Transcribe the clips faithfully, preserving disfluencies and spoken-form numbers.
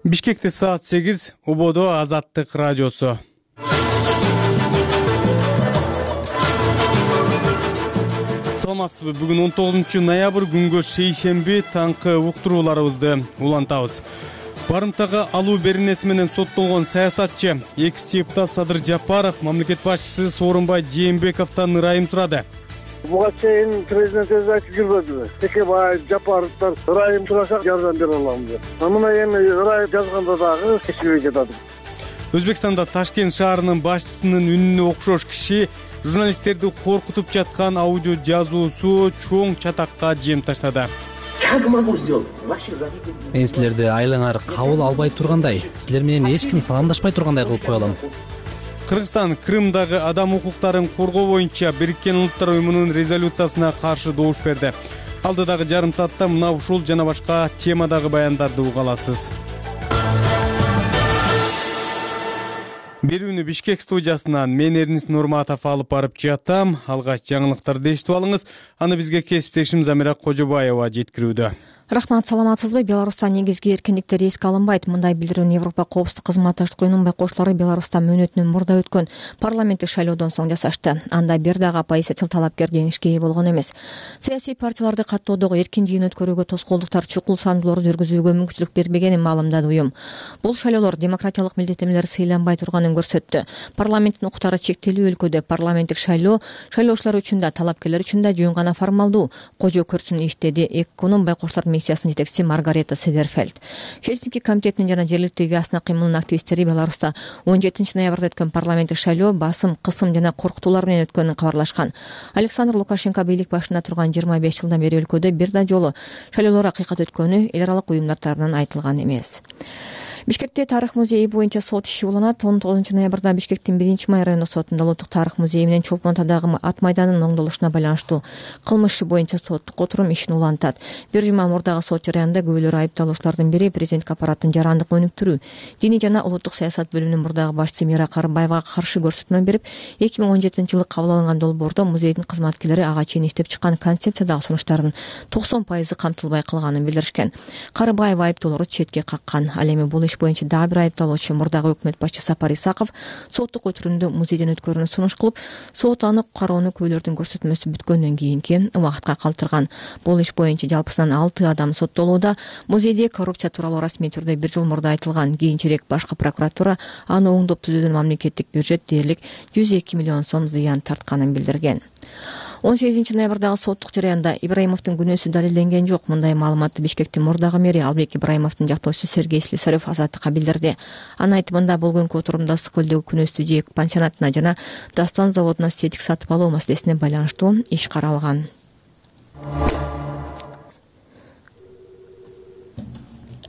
Бишкекте саат сегиз, Ободо Азаттык радиосу. Саламатсызбы? Бүгүн он тогузунчу ноябрь күнгө шейшемби таңкы уктурууларыбызды улантабыз. Барымтага алуу беренеси менен соттолгон саясатчы экс депутат Садыр Жапаров мамлекет башчысы Сооронбай Жээнбековдон ырайым сурады. Буга чейин президент өзү айтып жүрбөдүбү? Текебаев, Жапаровдор ырайым сураса жардам бере алам деп. Мына эми ырайым жазганда дагы кечибей жатат. Өзбекстанда Ташкент шаарынын башчысынын үнүнө окшош киши журналисттерди коркутуп жаткан аудио жазуусу чоң чатакка жем таштады. Мен силерди айлаңар кабыл албай тургандай, силер менен эч ким саламдашпай тургандай кылып кое алам. Кыргызстан Крымдагы адам укуктарын коргоо боюнча Бириккен Улуттар уюмунун резолюциясына каршы добуш берди. Алдыдагы жарым саатта мына ушул жана башка темадагы баяндарды уга аласыз. Берүүнү Бишкек студиясынан мен Эрнис Нурматов алып барып жатам. Алгач жаңылыктарды эшитип алыңыз. Аны бизге кесиптешим Замира Кожобаева жеткирүүдө. Рахмат, саламатсызбы? Беларуста негизги эркиндиктер эске алынбайт. Мындай билдирүүнү Европа коопсуздук кызматташтык уюмунун байкоочулары Беларуста мөөнөтүнөн мурда өткөн парламенттик шайлоодон соң жасашты. Анда бир дагы оппозициячыл талапкер жеңишке ээ болгон эмес. Саясий партияларды каттоодогу эркин жыйын өткөрүүгө тоскоолдуктар чукул самдууларды жүргүзүүгө мүмкүнчүлүк бербегенин маалымдады уюм. Бул шайлоолор демократиялык милдеттенмелер сыйланбай турганын көрсөттү. Парламенттин укуктары чектелүү өлкөдө парламенттик шайлоо шайлоочулар үчүн да талапкерлер үчүн да жөн гана формалдуу кожо көрсүн иштеди. ЭККУнун байкоочулар миссиясынын жетекчиси Маргарета Седерфельд. Хельсинки комитетинин жана жергиликтүү Виасна кыймылынын активисттери Беларуста он жетинчи ноябрда өткөн парламенттик шайлоо басым, кысым жана коркутуулар менен өткөнүн кабарлашкан. Александр Лукашенко бийлик башында турган жыйырма беш жылдан бери өлкөдө бир да жолу шайлоолор акыйкат өткөнү эл аралык уюмдар тарабынан айтылган эмес. Бишкекте тарых музейи боюнча сот иши уланат. он тогузунчу ноябрда Бишкектин биринчи май райондук сотунда Улуттук тарых музейи менен Чолпон атадагы ат майданынын оңдолушуна байланыштуу кылмыш иши боюнча соттук отурум ишин улантат. Бир жума мурдагы сот жарыянында күбөлөр айыпталуучулардын бири президенттик аппараттын жарандык өнүктүрүү, диний жана улуттук саясат бөлүмүнүн мурдагы башчысы Мира Карыбаевага каршы көрсөтмө берип, эки миң он жетинчи жылы кабыл алынган долбоордо музейдин кызматкерлери ага чейин иштеп чыккан концепциядагы сунуштардын токсон пайызы камтылбай калганын билдиришкен. Карыбаев айыптоолорду четке каккан. Ал эми бул иш боюнча дагы бир айыпталуучу мурдагы өкмөт башчысы Сапар Исаков соттук отурумду музейден өткөрүүнү сунуш кылып, сот аны кароону күбөлөрдүн көрсөтмөсү бүткөндөн кийинки убакытка калтырган. Бул иш боюнча жалпысынан алты адам соттолууда. Музейде коррупция тууралуу расмий түрдө бир жыл мурда айтылган. Кийинчерээк башкы прокуратура аны оңдоп түзүүдөн мамлекеттик бюджет дээрлик жүз эки миллион сом зыян тартканын билдирген. он сегизинчи ноябрдагы соттук жарыянда Ибраимовдун күнөөсү далилденген жок. Мындай маалыматты Бишкектин мурдагы мэри Албек Ибраимовдун жактоочусу Сергей Слесарев Азаттыкка билдирди. Анын айтымында болгонку отурумда Ысык көлдөгү күнөөстүү жээк пансионатына жана Дастан заводуна сетик сатып алуу маселесине байланыштуу иш каралган.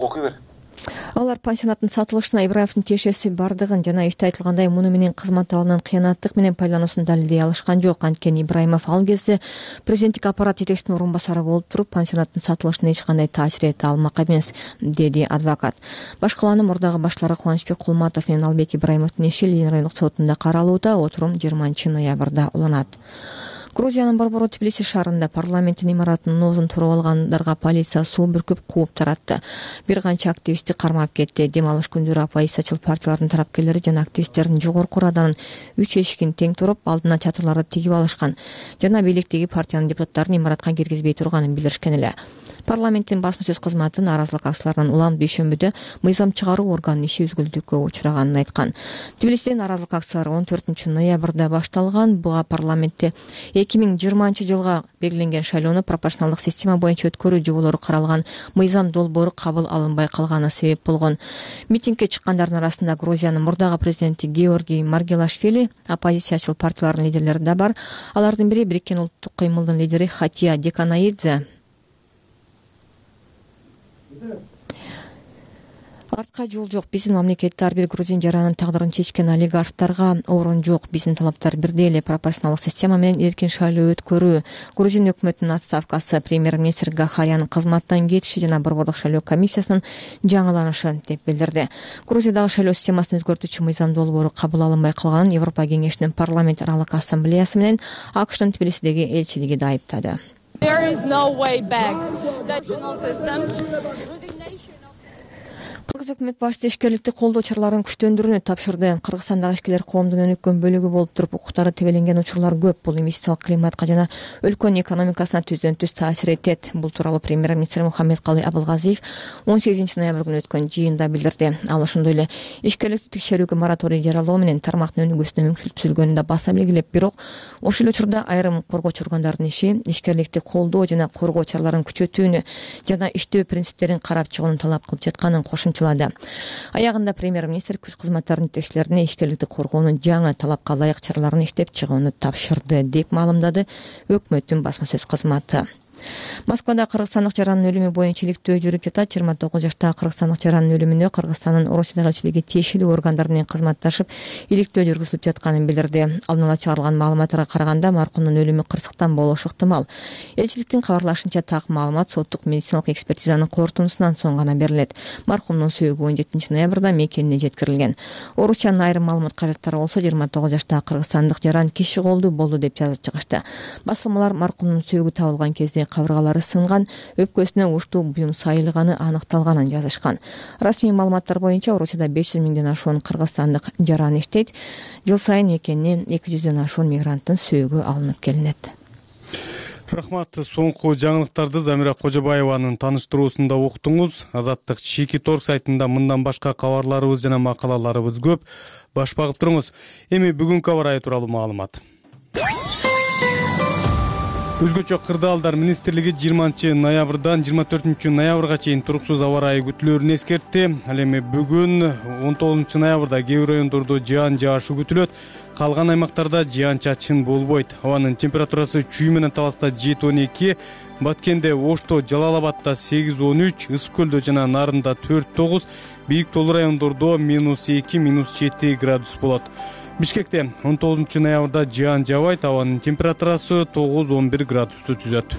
Окуй бер. Алар пансионаттын сатылышына Ибраимовдун тиешеси бардыгын жана иште айтылгандай муну менен кызмат абалынын кыянаттык менен пайдалануусун далилдей алышкан жок. Анткени Ибраимов ал кезде президенттик аппарат жетекчисинин орун басары болуп туруп, пансионаттын сатылышына эч кандай таасир эте алмак эмес, деди адвокат. Башкаланын мурдагы башлары Кубанычбек Кулматов менен Албек Ибраимовдун иши Ленин райондук сотунда каралууда. Отурум жыйырманчы ноябрда уланат. Грузиянын борбору Тбилиси шаарында парламенттин имаратынын оозун туруп алгандарга полиция суу бүркүп кууп таратты. Бир канча активистти кармап кетти. Дем алыш күндөрү оппозициячыл партиялардын тарапкерлери жана активисттердин жогорку раданын үч эшигин тең туруп, алдына чатырларды тигип алышкан жана бийликтеги партиянын депутаттарын имаратка киргизбей турганын билдиришкен эле. Парламенттин басма сөз кызматы нааразылык акцияларынан улам дүйшөмбүдө мыйзам чыгаруу органынын иши үзгүлтүккө учураганын айткан. Тбилисиде нааразылык акциялары он төртүнчү ноябрда башталган. Буга парламентте эки миң жыйырманчы жылга белгиленген шайлоону пропорционалдык система боюнча өткөрүү жоболору каралган мыйзам долбоору кабыл алынбай калганы себеп болгон. Митингге чыккандардын арасында Грузиянын мурдагы президенти Георгий Маргелашвили, оппозициячыл партиялардын лидерлери да бар. Алардын бири Бириккен улуттук кыймылдын лидери Хатия Деканаидзе. Артка жол жок. Биздин мамлекетте ар бир грузин жаранын тагдырын чечкен олигархтарга орун жок. Биздин талаптар бирдей эле: пропорционалдык система менен эркин шайлоо өткөрүү. Грузин өкмөтүнүн отставкасы, премьер-министр Гахарянын кызматтан кетиши жана борбордук шайлоо комиссиясынын жаңыланышы, деп билдирди. Грузиядагы шайлоо системасын өзгөртүүчү мыйзам долбоору кабыл алынбай калганын Европа кеңешинин парламент аралык ассамблеясы менен АКШтын Тбилисидеги элчилиги да айыптады. There is no way back. The system өкмөт башчысы ишкерликти колдоо чараларын күчтөндүрүүнү тапшырды. Кыргызстандагы ишкерлер коомдун өнүккөн бөлүгү болуп туруп, укуктары тебеленген учурлар көп. Бул инвестициялык климатка жана өлкөнүн экономикасына түздөн түз таасир этет. Бул тууралуу премьер-министр Мухаммедкалый Абылгазиев он сегизинчи ноябрь күнү өткөн жыйында билдирди. Ал ошондой эле ишкерликти текшерүүгө мораторий жарыялоо менен тармактын өнүгүүсүнө мүмкүнчүлүк түзүлгөнүн да баса белгилеп, бирок ошол эле учурда айрым коргоочу органдардын иши ишкерликти колдоо жана коргоо чараларын күчөтүүнү жана иштөө принциптерин карап чыгууну талап кылып жатканын кошумчалады. Аягында премьер-министр күч кызматтарынын жетекчилерине ишкерликти коргоонун жаңы талапка ылайык чараларын иштеп чыгууну тапшырды, деп маалымдады өкмөттүн басма сөз кызматы. Москвада кыргызстандык жарандын өлүмү боюнча иликтөө жүрүп жатат. жыйырма тогуз жаштагы кыргызстандык жарандын өлүмүнө Кыргызстандын Орусиядагы элчилиги тиешелүү органдар менен кызматташып, иликтөө жүргүзүлүп жатканын билдирди. Алдын ала чыгарылган маалыматтарга караганда, маркумдун өлүмү кырсыктан болушу ыктымал. Элчиликтин кабарлашынча, так маалымат соттук медициналык экспертизанын корутундусунан соң гана берилет. Маркумдун сөөгү он жетинчи ноябрда мекенине жеткирилген. Орусиянын айрым маалымат каражаттары болсо жыйырма тогуз жаштагы кыргызстандык жаран киши колдуу болду деп жазып чыгышты. Басылмалар маркумдун сөөгү табылган кезде кабыргалары сынган, өпкөсүнө уштуу буюм сайылганы аныкталганын жазышкан. Расмий маалыматтар боюнча Орусияда беш жүз миңден ашуун кыргызстандык жаран иштейт. Жыл сайын мекенине эки жүздөн ашуун мигранттын сөөгү алынып келинет. Рахмат. Соңку жаңылыктарды Замира Кожобаеванын тааныштыруусунда уктуңуз. Азаттык Чики Торг сайтында мындан башка кабарларыбыз жана макалаларыбыз көп. Баш багып туруңуз. Эми бүгүнкү аба ырайы тууралуу маалымат. Өзгөчө кырдаалдар министрлиги жыйырманчы ноябрдан жыйырма төртүнчү ноябрга чейин туруксуз аба ырайы күтүлөөрүн эскертти. Ал эми бүгүн он тогузунчу ноябрда кээ бир райондордо жаан жаашы күтүлөт. Калган аймактарда жаан чачын болбойт. Абанын температурасы чүй менен Таласта жети он эки, Баткенде, Ошто, Жалал Абадта сегиз он үч, Ысык Көлдө жана Нарында төрт тогуз, бийик тоолуу райондордо минус эки минус жети градус болот. Бишкекте он тогузунчу ноябрда жаан жаабайт, абанын температурасы тогуз он бир градусту түзөт.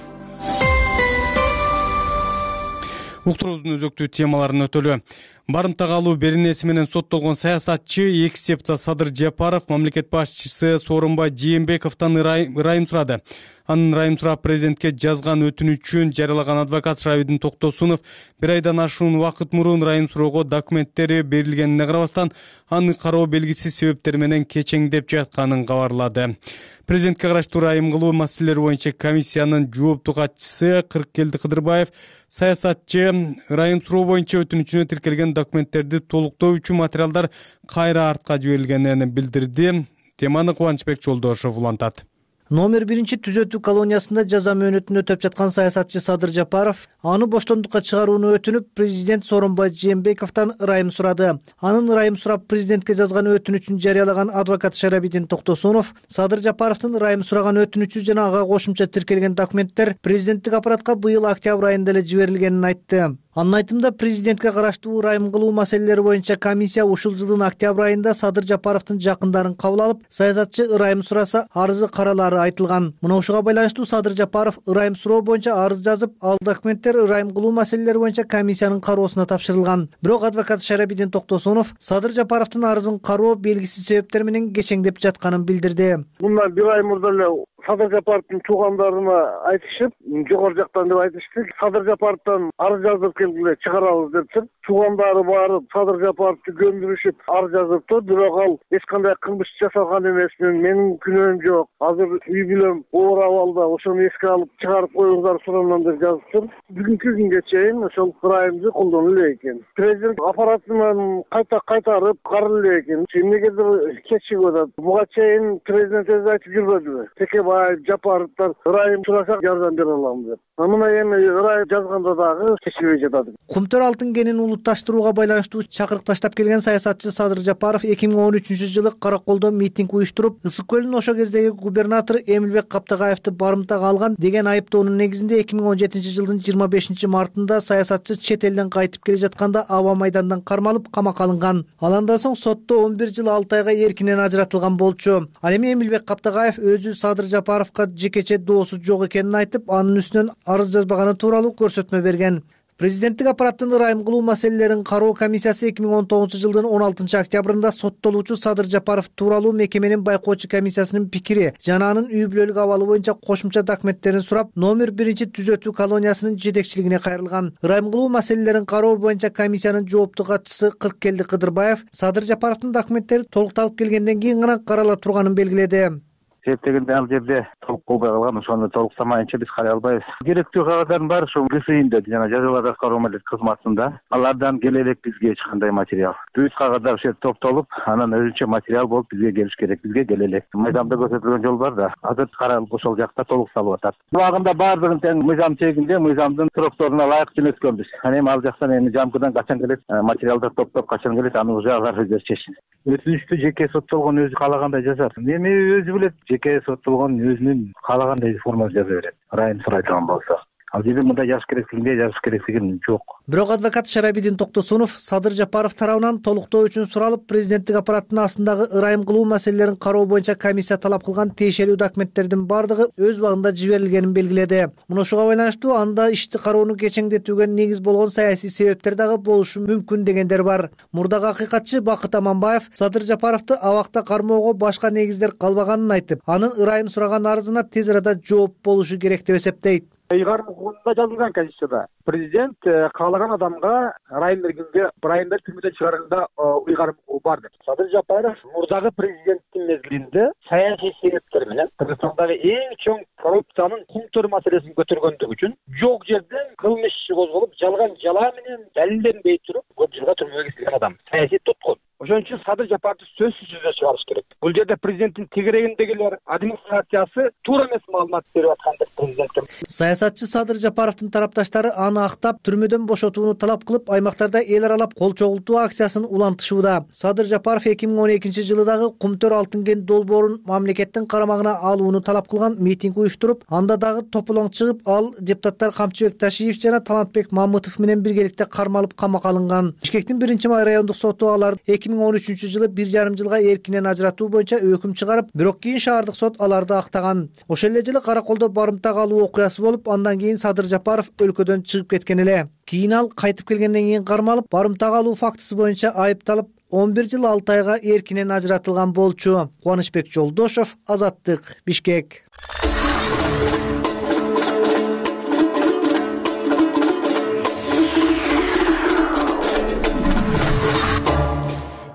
Уктуруубуздун өзөктүү темаларын өтөлү. Барымтага алуу беренеси менен соттолгон саясатчы экс депутат Садыр Жапаров мамлекет башчысы Сооронбай Жээнбековдон ырайым сурады. Анын ырайым сурап президентке жазган өтүнүчүн жарыялаган адвокат Шравидин Токтосунов бир айдан ашуун убакыт мурун ырайым суроого документтери берилгенине карабастан, аны кароо белгисиз себептер менен кечеңдеп жатканын кабарлады. Президентке караштуу ырайым кылуу маселелери боюнча комиссиянын жооптуу катчысы Кырыкелди Кыдырбаев саясатчы ырайым суроо боюнча өтүнүчүнө тиркелген документтерди толуктоо үчүн материалдар кайра артка жиберилгенин билдирди. Теманы Кубанычбек Жолдошов улантат. Номер биринчи түзөтүү колониясында жаза мөөнөтүн өтөп жаткан саясатчы Садыр Жапаров аны боштондукка чыгарууну өтүнүп, президент Сооронбай Жээнбековдон ырайым сурады. Анын ырайым сурап президентке жазган өтүнүчүн жарыялаган адвокат Шарабидин Токтосунов Садыр Жапаровдун ырайым сураган өтүнүчү жана ага кошумча тиркелген документтер президенттик аппаратка быйыл октябрь айында эле жиберилгенин айтты. Анын айтымында, президентке караштуу ырайым кылуу маселелери боюнча комиссия ушул жылдын октябрь айында Садыр Жапаровдун жакындарын кабыл алып, саясатчы ырайым сураса, арызы каралары айтылган. Мына ушуга байланыштуу Садыр Жапаров ырайым суроо боюнча арыз жазып, ал документтер ырайым кылуу маселелери боюнча комиссиянын кароосуна тапшырылган. Бирок адвокат Шарабидин Токтосунов Садыр Жапаровдун арызын кароо белгисиз себептер менен кечеңдеп жатканын билдирди. Мындан бир ай мурда эле Садыр Жапаровдун туугандарына айтышып, жогору жактан деп айтышты. Садыр Жапаровдон арыз жазып келгиле, чыгарабыз депти. Туугандары барып Садыр Жапаровду көндүрүшүп арыз жазыптыр. Бирок ал эч кандай кылмыш жасалган эмесмин, менин күнөөм жок. Азыр үй бүлөм оор абалда, ошону эске алып чыгарып коюңуздар сураман деп жазыптыр. Бүгүнкү күнгө чейин ошол ырайымды колдонула эле экен. Президент аппаратынан кайта кайтарып каралы эле экен. Эмнегедир кечигип атат. Буга чейин президент өзү айтып жүрбөдүбү? Текебаев, Жапаровдор ырайым сурасак жардам бере алам деп. Мына эми ырайым жазганда дагы чечилбей жатат. Кумтөр алтын кенин улутташтырууга байланыштуу чакырык таштап келген саясатчы Садыр Жапаров эки миң он үчүнчү жылы Караколдо митинг уюштуруп, Ысык Көлдүн ошо кездеги губернатору Эмилбек Каптагаевди барымтага алган деген айыптоонун негизинде эки миң он жетинчи жылдын жыйырма бешинчи мартында саясатчы чет элден кайтып келе жатканда аба майдандан кармалып камакка алынган. Ал андан соң сотто он бир жыл алты айга эркинен ажыратылган болчу. Ал эми Эмилбек Каптагаев өзү Садыр Жапаровго жекече доосу жок экенин айтып, анын үстүнөн арыз жазбаганы тууралуу көрсөтмө берген. Президенттик аппараттын ырайым кылуу маселелерин кароо комиссиясы эки миң он тогузунчу жылдын он алтынчы октябрында соттолуучу Садыр Жапаров тууралуу мекеменин байкоочу комиссиясынын пикири жана анын үй бүлөлүк абалы боюнча кошумча документтерин сурап, номер биринчи түзөтүү колониясынын жетекчилигине кайрылган. Ырайым кылуу маселелерин кароо боюнча комиссиянын жооптуу катчысы Кырккелди Кыдырбаев Садыр Жапаровдун документтери толукталып келгенден кийин гана карала турганын белгиледи. Себептегенде ал жерде толук болбой калган, ошону толуктамайынча биз карай албайбыз. Керектүү кагаздардын баары ушул ГСИнде жана жазаларды аткаруу мамилети кызматында. Алардан келе элек бизге эч кандай материал. Бүт кагаздар ушул жерде топтолуп, анан өзүнчө материал болуп бизге келиш керек. Бизге келе элек. Мыйзамда көрсөтүлгөн жол бар да. Азыр каралып ошол жакта толукталып атат. Булагында баардыгын тең мыйзам чегинде, мыйзамдын срокторуна ылайык жөнөткөнбүз. Анан эми ал жактан эми жамкыдан качан келет, материалдар топтоп качан келет, аны уже алар өздөрү чечсин. Өтүнүчтү жеке соттолгон өзү каалагандай жазар. Эми өзү билет, жеке соттолгон өзүнүн каалагандай формада жаза берет. Ырайым сурайдыган болсо. Ал жерде мындай жазыш керектигинде жазыш керектиги жок. Бирок адвокат Шарабидин Токтосунов Садыр Жапаров тарабынан толуктоо үчүн суралып, президенттик аппараттын астындагы ырайым кылуу маселелерин кароо боюнча комиссия талап кылган тиешелүү документтердин бардыгы өз убагында жиберилгенин белгиледи. Муну ушуга байланыштуу анда ишти кароону кечеңдетүүгө негиз болгон саясий себептер дагы болушу мүмкүн дегендер бар. Мурдагы акыйкатчы Бакыт Аманбаев Садыр Жапаровду абакта кармоого башка негиздер калбаганын айтып, анын ырайым сураган арызына тез арада жооп болушу керек деп эсептейт. Ыйгарым укугунда жазылган Конституцияда президент каалаган адамга ырайым бергенге ырайым берип түрмөдөн чыгарганда ыйгарым укугу бар деп. Садыр Жапаров мурдагы президенттин мезгилинде саясий себептер менен Кыргызстандагы эң чоң коррупциянын кумтөр маселесин көтөргөндүгү үчүн жок жерден кылмыш иши козголуп, жалган жалаа менен далилденбей туруп көп жылга түрмөгө кирген адам. Саясий туткун. Ошон үчүн Садыр Жапаровду сөзсүз түрдө чыгарыш керек. Бул жерде президенттин тегерегиндегилер администрациясы туура эмес маалымат берип аткандыр президентке. Саясатчы Садыр Жапаровдун тарапташтары аны актап, түрмөдөн бошотууну талап кылып, аймактарда эл аралап кол чогултуу акциясын улантышууда. Садыр Жапаров эки миң он экинчи жылы дагы Кумтөр алтын кен долбоорун мамлекеттин карамагына алууну талап кылган митинг уюштуруп, анда дагы тополоң чыгып, ал депутаттар Камчыбек Ташиев жана Талантбек Мамытов менен биргеликте кармалып камакка алынган. Бишкектин биринчи май райондук соту аларды эки миң он үчүнчү жылы бир жарым жылга эркинен ажыратуу боюнча өкүм чыгарып, бирок кийин шаардык сот аларды актаган. Ошол эле жылы Караколдо барымта калуу окуясы болуп, андан кийин Садыр Жапаров өлкөдөн чыгып кеткен эле. Кийин ал кайтып келгенден кийин кармалып, барымта калуу фактысы боюнча айыпталып, он бир жыл алты айга эркинен ажыратылган болчу. Кубанычбек Жолдошов, Азаттык, Бишкек.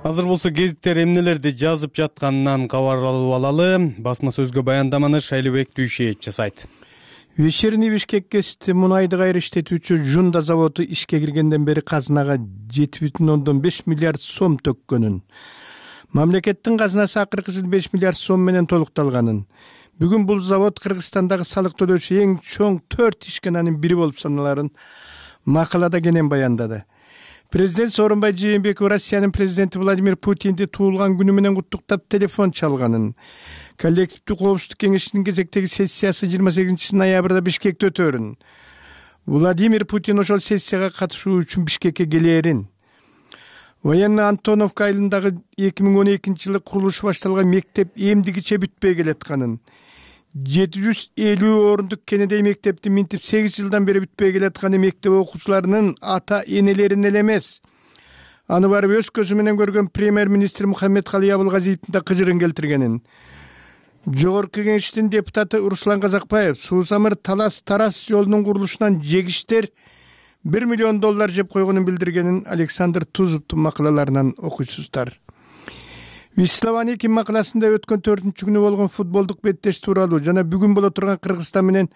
Азыр болсо гезиттер эмнелерди жазып жатканынан кабар алып алалы. Басма сөзгө баяндаманы Шайлыбек Дүйшеев жасайт. Вечерний Бишкек КСТ мунайды кайра иштетүүчү Жунда заводу ишке киргенден бери казынага жети бүтүн ондон беш миллиард сом төккөнүн, мамлекеттин казынасы акыркы жылы беш миллиард сом менен толукталганын, бүгүн бул завод Кыргызстандагы салык төлөөчү эң чоң төрт ишкананын бири болуп саналарын макалада кенен баяндады. Президент Сооронбай Жээнбеков Россиянын президенти Владимир Путинди туулган күнү менен куттуктап телефон чалганын, коллективдүү коопсуздук кеңешинин кезектеги сессиясы жыйырма сегизинчи ноябрда Бишкекте өтөөрүн, Владимир Путин ошол сессияга катышуу үчүн Бишкекке келээрин, военный Антоновка айылындагы эки миң он экинчи жылы курулушу башталган мектеп эмдигиче бүтпөй келатканын, жети жүз элүү орундук Кенедей мектептин минтип сегиз жылдан бери бүтпөй келатканы мектеп окуучуларынын ата энелерин эле эмес, аны барып өз көзү менен көргөн премьер-министр Мухаммедкалый Абылгазиевдин да кыжырын келтиргенин, Жогорку Кеңештин депутаты Руслан Казакбаев Суу-Самыр Талас Тарас жолунун курулушунан жегиштер бир миллион доллар жеп койгонун билдиргенин Александр Тузовдун макалаларынан окуйсуздар. Вислованики макаласында өткөн төртүнчү күнү болгон футболдук беттеш тууралуу жана бүгүн боло турган Кыргызстан менен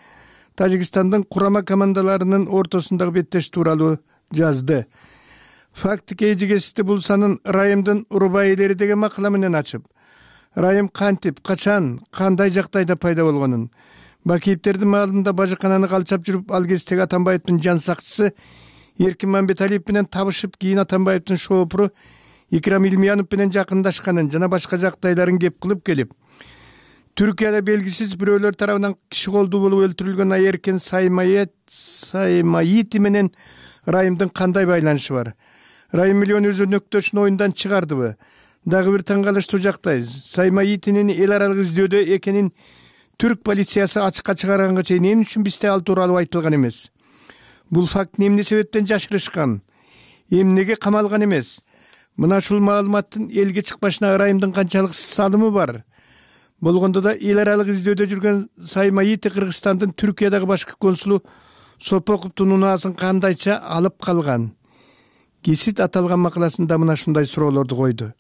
Тажикстандын курама командаларынын ортосундагы беттеш тууралуу жазды. Фактик эжигести бул санын Райымдын урбайлери деген макала менен ачып, Райым кантип, качан, кандай жактайда пайда болгонун, Бакиевтердин маалында бажыкананы калчап жүрүп, ал кездеги Атамбаевдин жан сакчысы Эркин Мамбеталиев менен табышып, кийин Атамбаевдин шоопуру Икрам Илмиянов менен жакындашканын жана башка жактайларын кеп кылып келип, Түркияда белгисиз бирөөлөр тарабынан киши колдуу болуп өлтүрүлгөн Эркин Саймаити менен Райымдын кандай байланышы бар? Райым миллион өзөнөктөшүн оюндан чыгардыбы? Дагы бир таң калыштуу жактай Саймаитинин эл аралык издөөдө экенин түрк полициясы ачыкка чыгарганга чейин эмне үчүн бизде ал тууралуу айтылган эмес? Бул фактыны эмне себептен жашырышкан, эмнеге камалган эмес? Мына ушул маалыматтын элге чыкпашына ырайымдын канчалык салымы бар? Болгондо да эл аралык издөөдө жүргөн Саймаити Кыргызстандын Түркиядагы башкы консулу Сопоковдун унаасын кандайча алып калган? Гесит аталган макаласында мына ушундай суроолорду койду.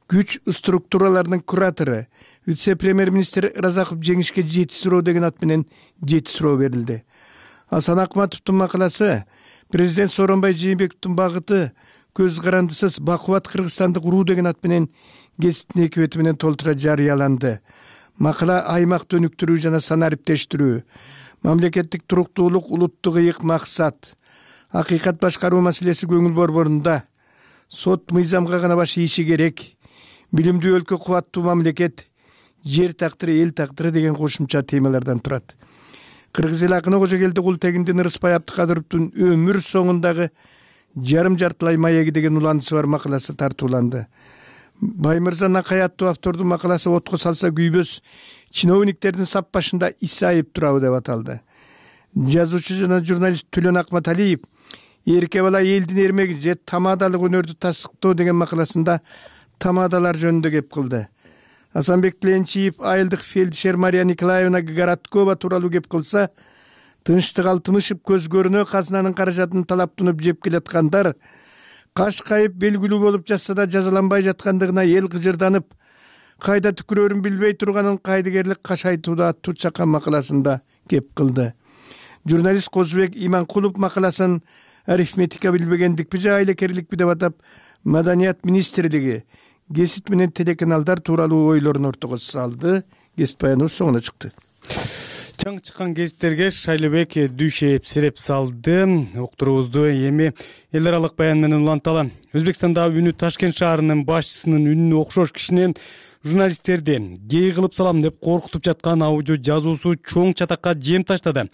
Күч структураларынын куратору, вице-премьер-министр Разаков жеңишке жети суроо деген ат менен жети суроо берилди. Асан Акматовдун макаласы президент Сооронбай Жээнбековдун багыты көз карандысыз бакубат Кыргызстанды куруу деген ат менен гезиттин эки бети менен толтура жарыяланды. Макала аймакты өнүктүрүү жана санариптештирүү, мамлекеттик туруктуулук улуттук ыйык максат, акыйкат башкаруу маселеси көңүл борборунда, сот мыйзамга гана баш ийиши керек, билимдүү өлкө кубаттуу мамлекет, жер тактыры эл тактыры деген кошумча темалардан турат. Кыргыз эл акыны Кожокелди Култегиндин Ырыспай Абдыкадыровдун өмүр соңундагы жарым жартылай маеги деген уландысы бар макаласы тартууланды. Баймырза Накай аттуу автордун макаласы отко салса күйбөс, чиновниктердин сап башында исайып турабы деп аталды. Жазуучу жана журналист Түлөн Акматалиев эрке бала элдин эрмеги же тамадалык өнөрдү тасыктоо деген макаласында тамадалар жөнүндө кеп кылды. Асанбек Тиленчиев айылдык фельдшер Мария Николаевна Гороткова тууралуу кеп кылса, тынчтык алтымышып көз көрүнө казынанын каражатын талаптынып жеп келаткандар каш кайып белгилүү болуп жатса да жазаланбай жаткандыгына эл кыжырданып, кайда түкүрөрүн билбей турганын кайдыгерлик кашайтууда аттуу чакан макаласында кеп кылды. Журналист Козубек Иманкулов макаласын арифметика билбегендикпи же айлекерликпи деп атап, Маданият министрлиги гесит менен телеканалдар тууралуу ойлорун ортого салды. Гесит баяныбыз соңуна чыкты. Чаң чыккан гезиттерге Шайлыбек Дүйшеев сиреп салды. Уктуруубузду эми эл аралык баян менен уланталы. Өзбекстанда үнү Ташкент шаарынын башчысынын үнүнө окшош кишинен журналисттерди гей кылып салам деп коркутуп жаткан аудио жазуусу чоң чатакка жем таштады.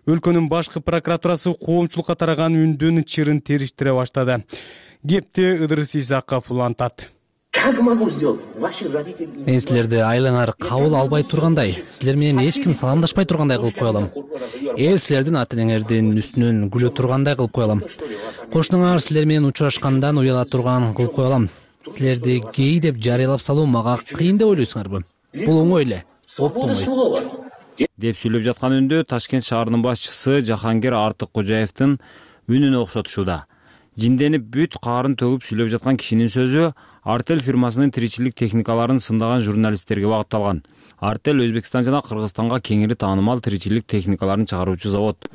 Өлкөнүн башкы прокуратурасы коомчулукка тараган үндүн чырын териштире баштады. Кепти Ыдырыс Исаков улантат. Как могу сделать? Ваших родителей... Мен силерди айлаңар кабыл албай тургандай, силер менен эч ким саламдашпай тургандай кылып кое алам. Эл силердин ата-энеңердин үстүнөн күлө тургандай кылып кое алам. Кошунуңар силер менен учурашкандан уяла турган кылып кое алам. Силерди гей деп жарыялап салуу мага кыйын деп ойлойсуңарбы? Бул оңой эле. Оптомой. Деп сүйлөп жаткан үндө Ташкент шаарынын башчысы Жахангер Артыккожаевдин үнүнө окшотушууда. Жинденип бүт каарын төгүп сүйлөп жаткан кишинин сөзү Артел фирмасынын тиричилик техникаларын сындаган журналисттерге багытталган. Артел Өзбекстан жана Кыргызстанга кеңири таанымал тиричилик техникаларын чыгаруучу завод.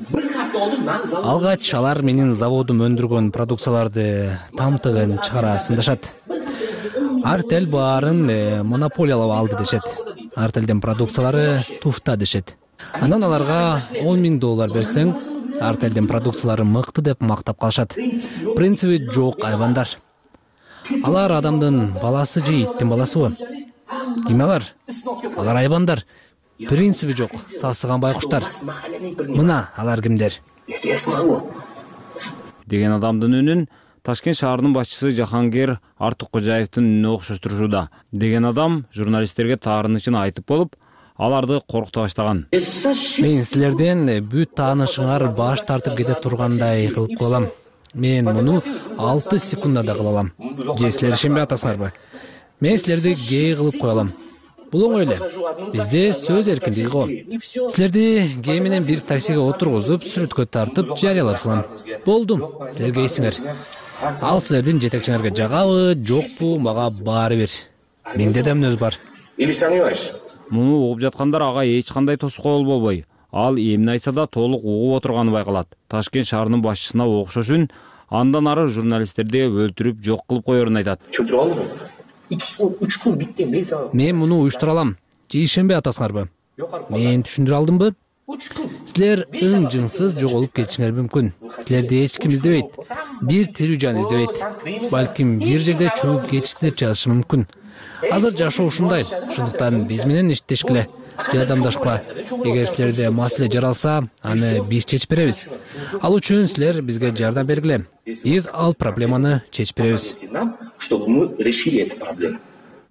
Алгач алар менин заводум өндүргөн продукцияларды тамтыгын чыгара сындашат. Артел баарын монополиялап алды дешет. Артелдин продукциялары туфта дешет. Анан аларга он миң доллар берсең, Артелдин продукциялары мыкты деп мактап калышат. Принциби жок айбандар. Алар адамдын баласы же иттин баласыбы? Ким алар? Алар айбандар. Принциби жок, сасыган байкуштар. Мына алар кимдер? Деген адамдын үнүн Ташкент шаарынын башчысы Жахангер Артыккожаевдин үнүнө окшоштурушууда. Деген адам журналисттерге таарынычын айтып болуп, аларды коркута баштаган. Мен силерден бүт таанышыңар баш тартып кете тургандай кылып коелам. Мен муну алты секундада кыла алам. Же силер ишенбей атасыңарбы? Мен силерди гей кылып коелам. Бул оңой эле. Бизде сөз эркиндиги го. Силерди гей менен бир таксиге отургузуп, сүрөткө тартып, жарыялап салам. Болдум. Силер гейсиңер. Ал силердин жетекчиңерге жагабы, жокпу, мага баары бир. Менде да мүнөз бар. Или сомневаешься? Муну угуп жаткандар ага эч кандай тоскоол болбой, ал эмне айтса да толук угуп отурганы байкалат. Ташкент шаарынын башчысына окшош үн андан ары журналисттерди өлтүрүп жок кылып коерун айтат. Чөтүрүп алдыңбы? үч күн биттен бес ай. Мен муну уюштура алам. Же ишенбей атасыңарбы? Мен түшүндүрө алдымбы? Силер ың-жыңсыз жоголуп кетишиңер мүмкүн. Силерди эч ким издебейт. Бир тирүү жан издебейт. Балким бир жерде чөгүп кетишти деп жазышы мүмкүн. Азыр жашоо ушундай. Ошондуктан биз менен иштешкиле, жардамдашкыла. Эгер силерде маселе жаралса, аны биз чечип беребиз. Ал үчүн силер бизге жардам бергиле. Биз ал проблеманы чечип беребиз. Чтобы мы решили эту проблему.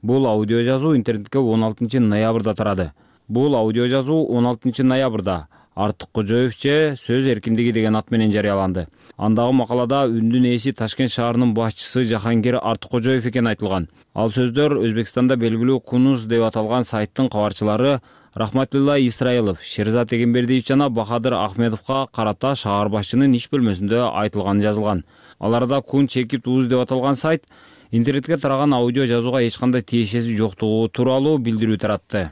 Бул аудио жазуу интернетке он алтынчы ноябрда тарады. Бул аудио жазуу он алтынчы ноябрда Артык Кожоев же сөз эркиндиги деген ат менен жарыяланды. Андагы макалада үндүн ээси Ташкент шаарынын башчысы Жахангир Артыккожоев экени айтылган. Ал сөздөр Өзбекстанда белгилүү Кунуз деп аталган сайттын кабарчылары Рахматулла Исраилов, Шерзат Эгембердиев жана Бахадыр Ахмедовго карата шаар башчынын иш бөлмөсүндө айтылганы жазылган. Аларда Кун чекип туз деп аталган сайт интернетке тараган аудио жазууга эч кандай тиешеси жоктугу тууралуу билдирүү таратты.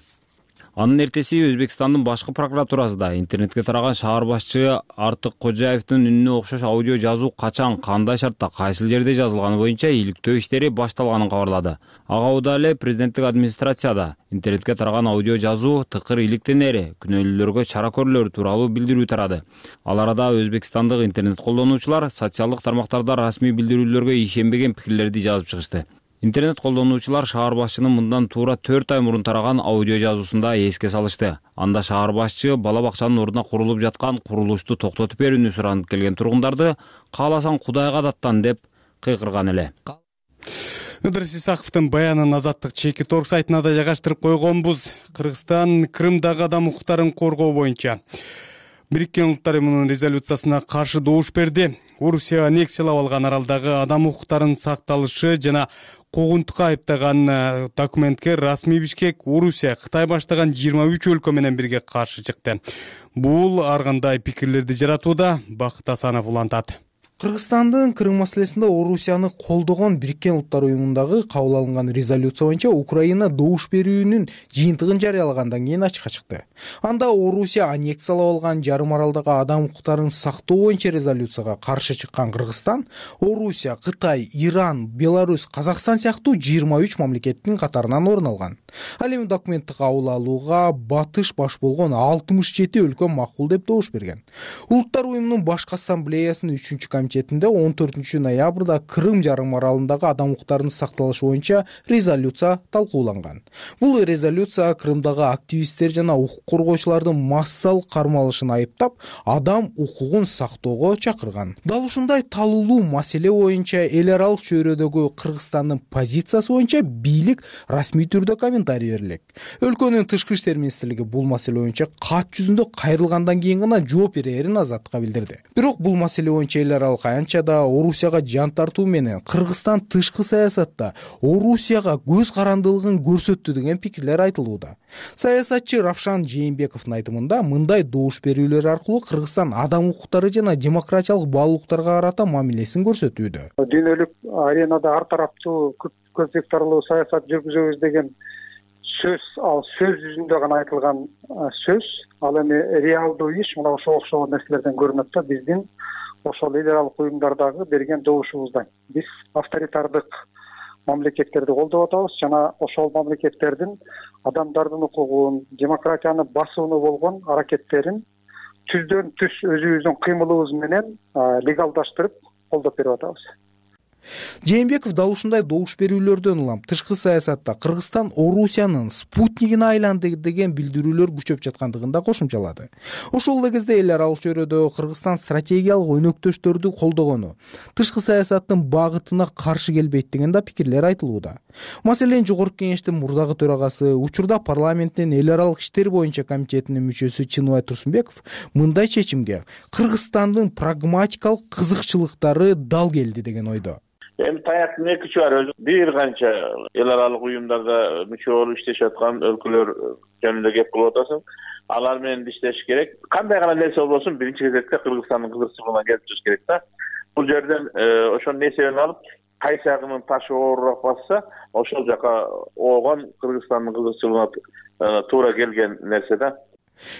Анын эртеси Өзбекстандын башкы прокуратурасында интернетке тараган шаар башчы Артык Кожоевдин үнүнө окшош аудио жазуу качан, кандай шартта, кайсыл жерде жазылганы боюнча иликтөө иштери башталганын кабарлады. Ага убада эле президенттик администрацияда интернетке тараган аудио жазуу тыкыр иликтенери, күнөөлүүлөргө чара көрүлөр тууралуу билдирүү тарады. Ал арада өзбекстандык интернет колдонуучулар социалдык тармактарда расмий билдирүүлөргө ишенбеген пикирлерди жазып чыгышты. Интернет колдонуучулар шаар башчынын мындан туура төрт ай мурун тараган аудио жазуусунда эске салышты. Анда шаар башчы бала бакчанын ордуна курулуп жаткан курулушту токтотуп берүүнү суранып келген тургундарды кааласаң Кудайга даттан деп кыйкырган эле. Ыдырыс Исаковдун баянын Азаттык чеки торг сайтына да жайгаштырып койгонбуз. Кыргызстан Крымдагы адам укуктарын коргоо боюнча Бириккен Улуттар Уюмунун резолюциясына каршы добуш берди. Орусия аннексиялап алган аралдагы адам укуктарынын сакталышы жана куугунтукка айыптаган документке расмий Бишкек, Орусия, Кытай баштаган жыйырма үч өлкө менен бирге каршы чыкты. Бул ар кандай пикирлерди жаратууда, Бакыт Асанов улантат. Кыргызстандын Крым маселесинде Орусияны колдогон Бириккен Улуттар Уюмундагы кабыл алынган резолюция боюнча Украина добуш берүүнүн жыйынтыгын жарыялагандан кийин ачыкка чыкты. Анда Орусия аннексиялап алган жарым аралдагы адам укуктарын сактоо боюнча резолюцияга каршы чыккан Кыргызстан, Орусия, Кытай, Иран, Беларусь, Казакстан сыяктуу жыйырма үч мамлекеттин катарынан орун алган. Ал эми документти кабыл алууга батыш баш болгон алтымыш жети өлкө макул деп добуш берген. Улуттар Уюмунун башкы ассамблеясынын үчүнчү комитетинде он төртүнчү ноябрда Крым жарым аралындагы адам укуктарынын сакталышы боюнча резолюция талкууланган. Бул резолюция Крымдагы активисттер жана укук коргоочулардын массалык кармалышын айыптап, адам укугун сактоого чакырган. Дал ушундай талуулуу маселе боюнча эл аралык чөйрөдөгү Кыргызстандын позициясы боюнча бийлик расмий түрдө комментарий берилек. Өлкөнүн тышкы иштер министрлиги бул маселе боюнча кат жүзүндө кайрылгандан кийин гана жооп берерин Азаттыкка билдирди. Бирок бул маселе боюнча эл аралык аянча да Орусияга жан тартуу менен Кыргызстан тышкы саясатта Орусияга көз карандылыгын көрсөттү деген пикирлер айтылууда. Саясатчы Равшан Жээнбековдун айтымында мындай добуш берүүлөр аркылуу Кыргызстан адам укуктары жана демократиялык баалуулуктарга карата мамилесин көрсөтүүдө. Дүйнөлүк аренада ар тараптуу көп векторлуу саясат жүргүзөбүз деген сөз, ал сөз жүзүндө гана айтылган сөз, ал эми реалдуу иш мына ошо окшогон нерселерден көрүнөт да биздин ошол эл аралык уюмдардагы берген добушубуздан. Биз авторитардык мамлекеттерди колдоп атабыз жана ошол мамлекеттердин адамдардын укугун, демократияны басууну болгон аракеттерин түздөн түз өзүбүздүн кыймылыбыз менен легалдаштырып колдоп берип атабыз. Жээнбеков дал ушундай добуш берүүлөрдөн улам тышкы саясатта Кыргызстан Орусиянын спутнигине айланды деген билдирүүлөр күчөп жаткандыгын да кошумчалады. Ошол эле кезде эл аралык чөйрөдө Кыргызстан стратегиялык өнөктөштөрдү колдогону, тышкы саясаттын багытына каршы келбейт деген да пикирлер айтылууда. Маселен, Жогорку Кеңештин мурдагы төрагасы, учурда парламенттин эл аралык иштер боюнча комитетинин мүчөсү Чыныбай Турсунбеков мындай чечимге Кыргызстандын прагматикалык кызыкчылыктары дал келди деген ойдо. Эми таяктын эки учу бар. Бир канча эл аралык уюмдарда мүчө болуп иштешип аткан өлкөлөр жөнүндө кеп кылып атасың. Алар менен иштеш керек. Кандай гана нерсе болбосун, биринчи кезекте Кыргызстандын кызыкчылыгына келип чыгыш керек да. Бул жерден ошонун несебин алып, кайсы жагынын ташы оорураак басса, ошол жака оогон Кыргызстандын кызыкчылыгына туура келген нерсе да.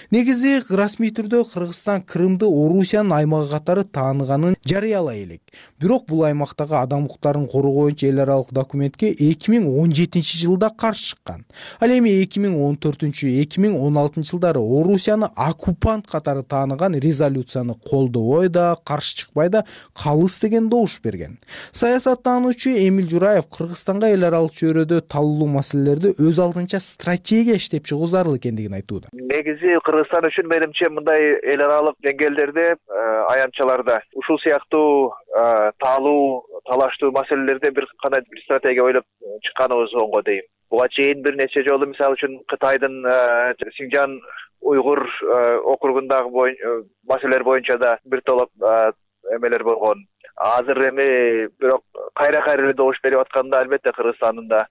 Негизи расмий түрдө Кыргызстан Крымды Орусиянын аймагы катары тааныганын жарыялай элек. Бирок бул аймактагы адам укуктарын коргоо боюнча эл аралык документке эки миң он жетинчи жылда каршы чыккан. Ал эми эки миң он төртүнчү эки миң он алтынчы жылдары Орусияны оккупант катары тааныган резолюцияны колдобой да, каршы чыкпай да калыс деген добуш берген. Саясаттануучу Эмил Жураев Кыргызстанга эл аралык чөйрөдө талуулуу маселелерди өз алдынча стратегия иштеп чыгуу зарыл экендигин айтууда. Негизи Кыргызстан үчүн менимче мындай эл аралык деңгээлдерде, аянтчаларда ушул сыяктуу таалуу, талаштуу маселелерде бир кандай бир стратегия ойлоп чыкканыбыз оңго дейм. Буга чейин бир нече жолу мисалы үчүн Кытайдын Синжан уйгур округундагы маселелер боюнча да бир топ эмелер болгон. Азыр эми бирок кайра кайра эле добуш берип атканда албетте Кыргызстандын да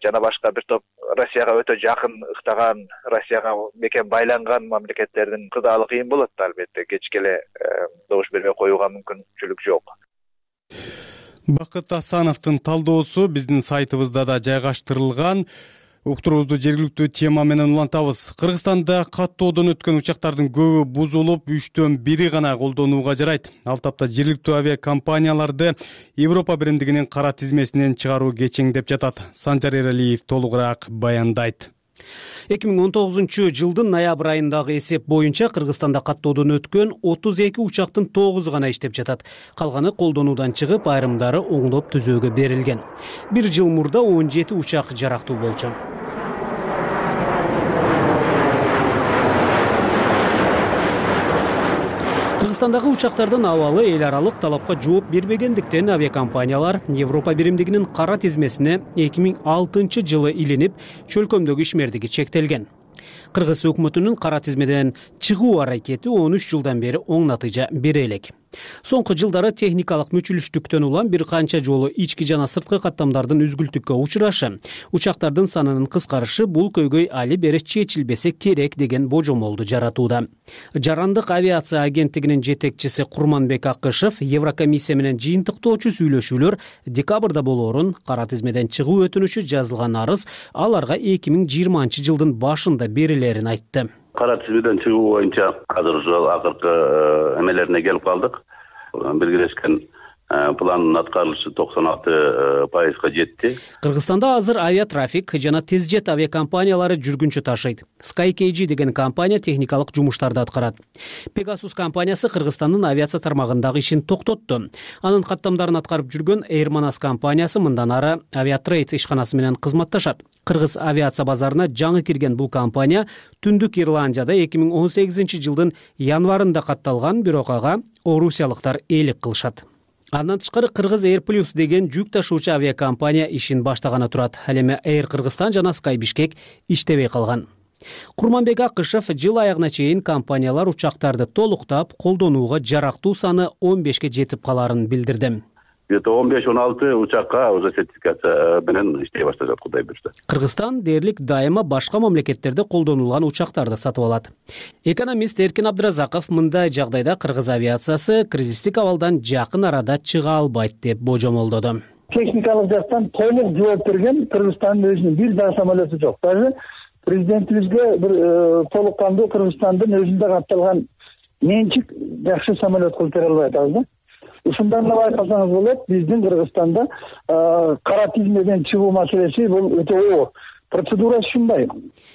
жана башка бир топ Россияга өтө жакын ыктаган, Россияга мекен байланган мамлекеттердин кыдаалы кыйын болот да, албетте кечке эле добуш бербей коюуга мүмкүнчүлүк жок. Бакыт Асановдун талдоосу биздин сайтыбызда да жайгаштырылган. Уктуруубузду жергиликтүү тема менен улантабыз. Кыргызстанда каттоодон өткөн учактардын көбү бузулуп, үчтөн бири гана колдонууга жарайт. Ал тапта жергиликтүү авиакомпанияларды Европа биримдигинин кара тизмесинен чыгаруу кечеңдеп жатат. Санжар Эралиев толугураак баяндайт. эки миң он тогузунчу жылдын ноябрь айындагы эсеп боюнча Кыргызстанда каттоодон өткөн отуз эки учактын тогузу гана иштеп жатат. Калганы колдонуудан чыгып, айрымдары оңдоп түзөөгө берилген. Бир жыл мурда он жети учак жарактуу болчу. Кыргызстандагы учактардын абалы эл аралык талапка жооп бербегендиктен авиакомпаниялар Европа биримдигинин кара тизмесине эки миң алтынчы жылы илинип, чөлкөмдөгү ишмердиги чектелген. Кыргыз өкмөтүнүн кара тизмеден чыгуу аракети он үч жылдан бери оң натыйжа бере элек. Соңку жылдары техникалык мүчүлүштүктөн улам бир канча жолу ички жана сырткы каттамдардын үзгүлтүккө учурашы, учактардын санынын кыскарышы бул көйгөй али бери чечилбесе керек деген божомолду жаратууда. Жарандык авиация агенттигинин жетекчиси Курманбек Акышев Еврокомиссия менен жыйынтыктоочу сүйлөшүүлөр декабрда болоорун, кара тизмеден чыгуу өтүнүчү жазылган арыз аларга эки миң жыйырманчы жылдын башында берилерин айтты. Кара тизмеден чыгуу боюнча азыр ушул акыркы эмелерине келип калдык. Белгилешкен пландын аткарылышы токсон алты пайызга жетти. Кыргызстанда азыр авиатрафик жана тезжет авиакомпаниялары жүргүнчү ташыйт. SkyKG деген компания техникалык жумуштарды аткарат. Pegasus компаниясы Кыргызстандын авиация тармагындагы ишин токтотту. Анын каттамдарын аткарып жүргөн Airmanas компаниясы мындан ары Aviatrade ишканасы менен кызматташат. Кыргыз авиация базарына жаңы кирген бул компания Түндүк Ирландияда эки миң он сегизинчи жылдын январында катталган, бирок ага орусиялыктар ээлик кылышат. Андан тышкары Кыргыз Air Plus деген жүк ташуучу авиакомпания ишин баштаганы турат. Ал эми Air Кыргызстан жана Sky Bishkek иштебей калган. Курманбек Акышев жыл аягына чейин компаниялар учактарды толуктап, колдонууга жарактуу саны он бешке жетип каларын билдирди. Где-то он беш он алты учакка уже сертификация менен иштей башташат, Кудай буйрса. Кыргызстан дээрлик дайыма башка мамлекеттерде колдонулган учактарды сатып алат. Экономист Эркин Абдыразаков мындай жагдайда Кыргыз авиациясы кризистик абалдан жакын арада чыга албайт деп божомолдоду. Техникалык жактан толук жооп берген Кыргызстандын өзүнүн бир дагы самолету жок. Даже президентибизге бир толук кандуу Кыргызстандын өзүндө катталган менчик жакшы самолет кылып бере албай атабыз да. Ушундан да байкасаңыз болот, биздин Кыргызстанда кара тизмеден чыгуу маселеси бул өтө оор. Процедурасы ушундай.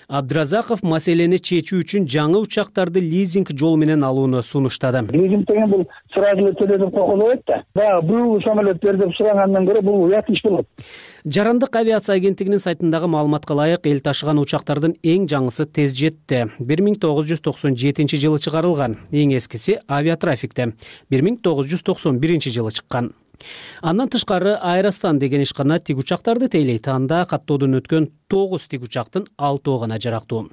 Абдыразаков маселени чечүү үчүн жаңы учактарды лизинг жол менен алууну сунуштады. Лизинг деген бул сразу эле төлөп койгулайт да. Баягы бул самолет бер деп сурагандан көрө бул уят иш болот. Жарандык авиация агенттигинин сайтындагы маалыматка ылайык, эл ташыган учактардын эң жаңысы Тезжетте бир миң тогуз жүз токсон жетинчи жылы чыгарылган, эң эскиси Авиатрафикте бир миң тогуз жүз токсон биринчи жылы чыккан. Андан тышкары Аэростан деген ишкана тик учактарды тейлейт. Анда каттоодон өткөн тогуз тик учактын алтоо гана жарактуу.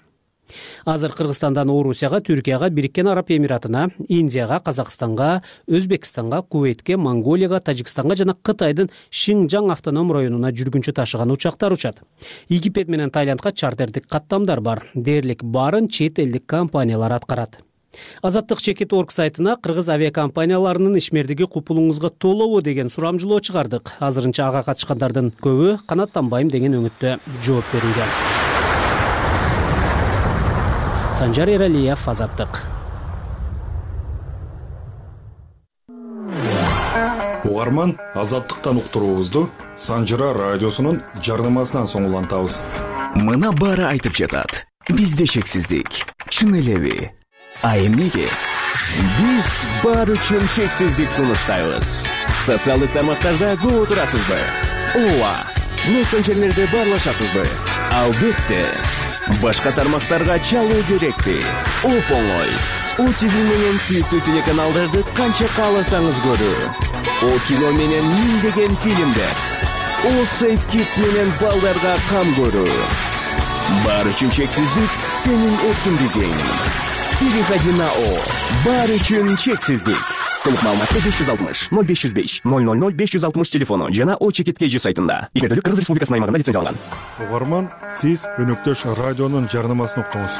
Азыр Кыргызстандан Орусияга, Түркияга, Бириккен Араб Эмиратына, Индияга, Казакстанга, Өзбекстанга, Кувейтке, Монголияга, Тажикстанга жана Кытайдын Шинжаң автоном районуна жүргүнчү ташыган учактар учат. Египет менен Тайландга чартердик каттамдар бар. Дээрлик баарын чет элдик компаниялар аткарат. Азаттык чекит орг сайтына Кыргыз авиакомпанияларынын ишмердиги купулуңузга толобу деген сурамжылоо чыгардык. Азырынча ага катышкандардын көбү канаттанбайм деген өңүттө жооп берилген. Санжар Эралиев, Азаттык. Угарман, Азаттыктан уктуруубузду Санжыра радиосунун жарнамасынан соң улантабыз. Мына баары айтып жатат. Бизде чексиздик. Чын элеби? А эмнеге? Биз бар үчүн чексиздик сунуштайбыз. Социалдык тармактарда көп турасызбы? Ооба. Мессенджерлерде баарлашасызбы? Албетте. Башка тармактарга чалуу керекпи? Оп-оңой. О ти ви менен сүйүктүү телеканалдарды канча кааласаңыз көрүү. О кино менен миңдеген фильмдер. О Safe Kids менен балдарга кам көрүү. Баары үчүн чексиздик сенин эркиндигиң. Переходи на О. Баары үчүн чексиздик. Толук маалыматты беш жүз алтымыш ноль беш жүз беш ноль ноль ноль беш жүз алтымыш телефону жана О чекит кей жи сайтында. Ишмердүүлүк Кыргыз Республикасынын аймагында лицензияланган. Угарман, сиз өнөктөш радионун жарнамасын уктуңуз.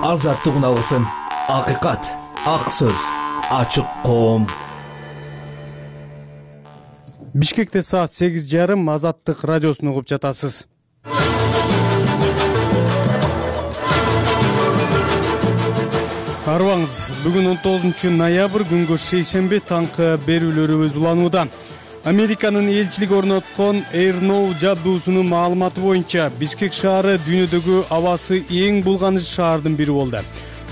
Азаттык алгысын, акыйкат, ак сөз, ачык коом. Бишкекте саат сегиз жарым Азаттык радиосун угуп жатасыз. Арыбаңыз, бүгүн он тогузунчу ноябрь күнгө шейшемби таңкы берүүлөрүбүз уланууда. Американын элчилиги орноткон AirNow жабдуусунун маалыматы боюнча Бишкек шаары дүйнөдөгү абасы эң булганыч шаардын бири болду.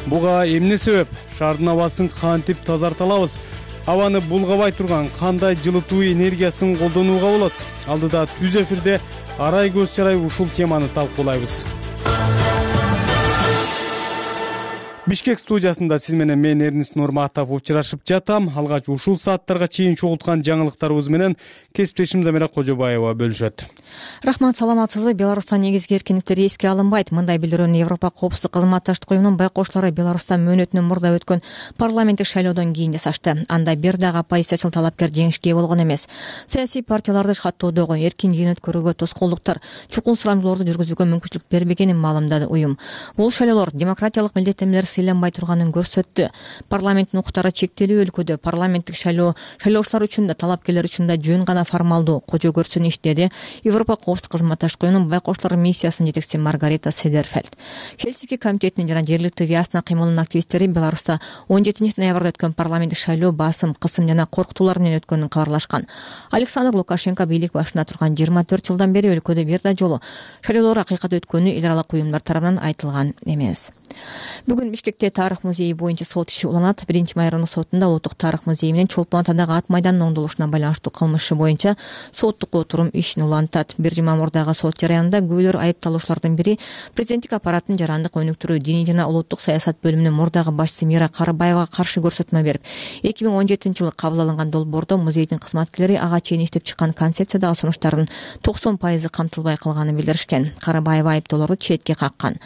Буга эмне себеп? Шаардын абасын кантип тазарта алабыз? Абаны булгабай турган кандай жылытуу энергиясын колдонууга болот? Алдыда түз эфирде Арай көз чарай ушул теманы талкуулайбыз. Бишкек студиясында сиз менен мен Эрнис Нурматов учурашып жатам. Алгач ушул сааттарга чейин чогулткан жаңылыктарыбыз менен кесиптешим Замира Кожобаева бөлүшөт. Рахмат, саламатсызбы? Беларуста негизги эркиндиктер эске алынбайт. Мындай билдирүүнү Европа коопсуздук кызматташтык уюмунун байкоочулары Беларуста мөөнөтүнөн мурда өткөн парламенттик шайлоодон кийин жасашты. Анда бир дагы оппозициячыл талапкер жеңишке ээ болгон эмес. Саясий партияларды каттоодогу эркин жыйын өткөрүүгө тоскоолдуктар, чукул сурамдууларды жүргүзүүгө мүмкүнчүлүк бербегенин маалымдады уюм. Бул шайлоолор демократиялык милдеттенмелер сыйланбай турганын көрсөттү. Парламенттин укуктары чектелүү өлкөдө парламенттик шайлоо шайлоочулар үчүн да талапкерлер үчүн да жөн гана формалдуу кожо көрсүнүш деди Европа коопсуздук кызматташтык уюмунун байкоочулар миссиясынын жетекчиси Маргарита Седерфельд. Хельсинки комитетинин жана жергиликтүү Виасна кыймылынын активисттери Беларуста он жетинчи ноябрда өткөн парламенттик шайлоо басым, кысым жана коркутуулар менен өткөнүн кабарлашкан. Александр Лукашенко бийлик башында турган жыйырма төрт жылдан бери өлкөдө бир да жолу шайлоолор акыйкат өткөнү эл аралык уюмдар тарабынан айтылган эмес. Бүгүн Бишкекте тарых музейи боюнча сот иши уланат. Биринчи майрандык сотунда Улуттук тарых музейи менен Чолпон атадагы ат майданынын оңдолушуна байланыштуу кылмыш иши боюнча соттук отурум ишин улантат. Бир жума мурдагы сот жараянында күбөлөр айыпталуучулардын бири президенттик аппараттын жарандык өнүктүрүү, диний жана улуттук саясат бөлүмүнүн мурдагы башчысы Мира Карыбаевага каршы көрсөтмө берип, эки миң он жетинчи жылы кабыл алынган долбоордо музейдин кызматкерлери ага чейин иштеп чыккан концепциядагы сунуштардын токсон пайызы камтылбай калганын билдиришкен. Карыбаева айыптоолорду четке каккан.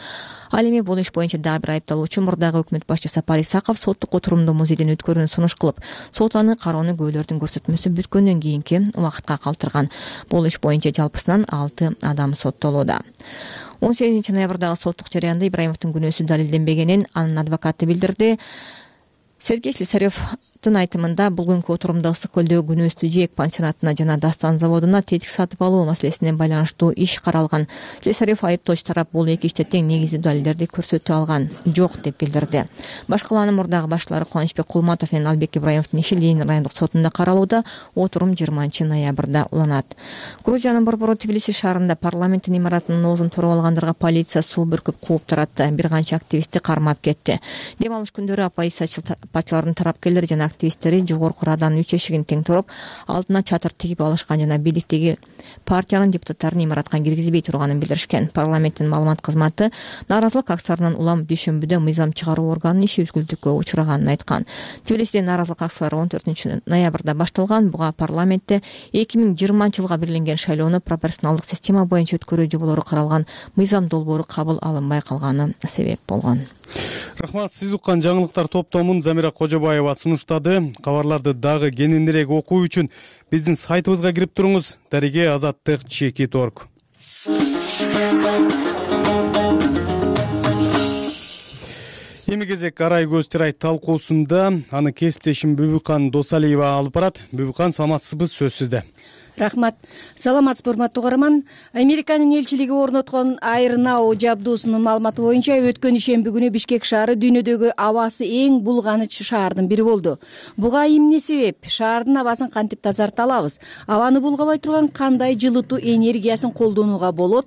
Ал эми бул иш боюнча дагы бир айыпталуучу мурдагы өкмөт башчысы Сапар Исаков соттук отурумду музейден өткөрүүнү сунуш кылып, сот аны кароону күбөлөрдүн көрсөтмөсү бүткөндөн кийинки убакытка калтырган. Бул иш боюнча жалпысынан алты адам соттолууда. он сегизинчи ноябрдагы соттук жараянда Ибраимовдун күнөөсү далилденбегенин анын адвокаты билдирди. Сергей Слесаревдин айтымында бүгүнкү отурумда Ысык көлдөгү күнөөстүү жээк пансионатына жана Дастан заводуна тетик сатып алуу маселесине байланыштуу иш каралган. Слесарев айыптоочу тарап бул эки иште тең негиздүү далилдерди көрсөтө алган жок деп билдирди. Башкалаанын мурдагы башчылары Кубанычбек Кулматов менен Албек Ибраимовдун иши Ленин райондук сотунда каралууда. Отурум жыйырманчы ноябрда уланат. Грузиянын борбору Тбилиси шаарында парламенттин имаратынын оозун туруп алгандарга полиция суу бүркүп кууп таратты. Бир канча активистти кармап кетти. Дем алыш күндөрү оппозициячыл партиялардын тарапкерлери жана активисттери жогорку раданын үч эшигин тең туруп, алдына чатыр тигип алышкан жана бийликтеги партиянын депутаттарын имаратка киргизбей турганын билдиришкен. Парламенттин маалымат кызматы нааразылык акцияларынан улам дүйшөмбүдө мыйзам чыгаруу органынын иши үзгүлтүккө учураганын айткан. Тбилисиде нааразылык акциялары он төртүнчү ноябрда башталган. Буга парламентте эки миң жыйырманчы жылга белгиленген шайлоону пропорционалдык система боюнча өткөрүү жоболору каралган мыйзам долбоору кабыл алынбай калганы себеп болгон. Рахмат, сиз уккан жаңылыктар топтомун Замира Кожобаева сунуштады. Кабарларды дагы кененирээк окуу үчүн биздин сайтыбызга кирип туруңуз. Дареге азаттык чекит орг. Эми кезек Арай көз чарай талкуусунда аны кесиптешим Бүбүкан Досалиева алып барат. Бүбүкан, саламатсызбы? Сөз сизде. Рахмат. Саламатсызбы, урматтуу угарман. Американын элчилиги орноткон AirNow жабдуусунун маалыматы боюнча өткөн ишемби күнү Бишкек шаары дүйнөдөгү абасы эң булганыч шаардын бири болду. Буга эмне себеп? Шаардын абасын кантип тазарта алабыз? Абаны булгабай турган кандай жылытуу энергиясын колдонууга болот?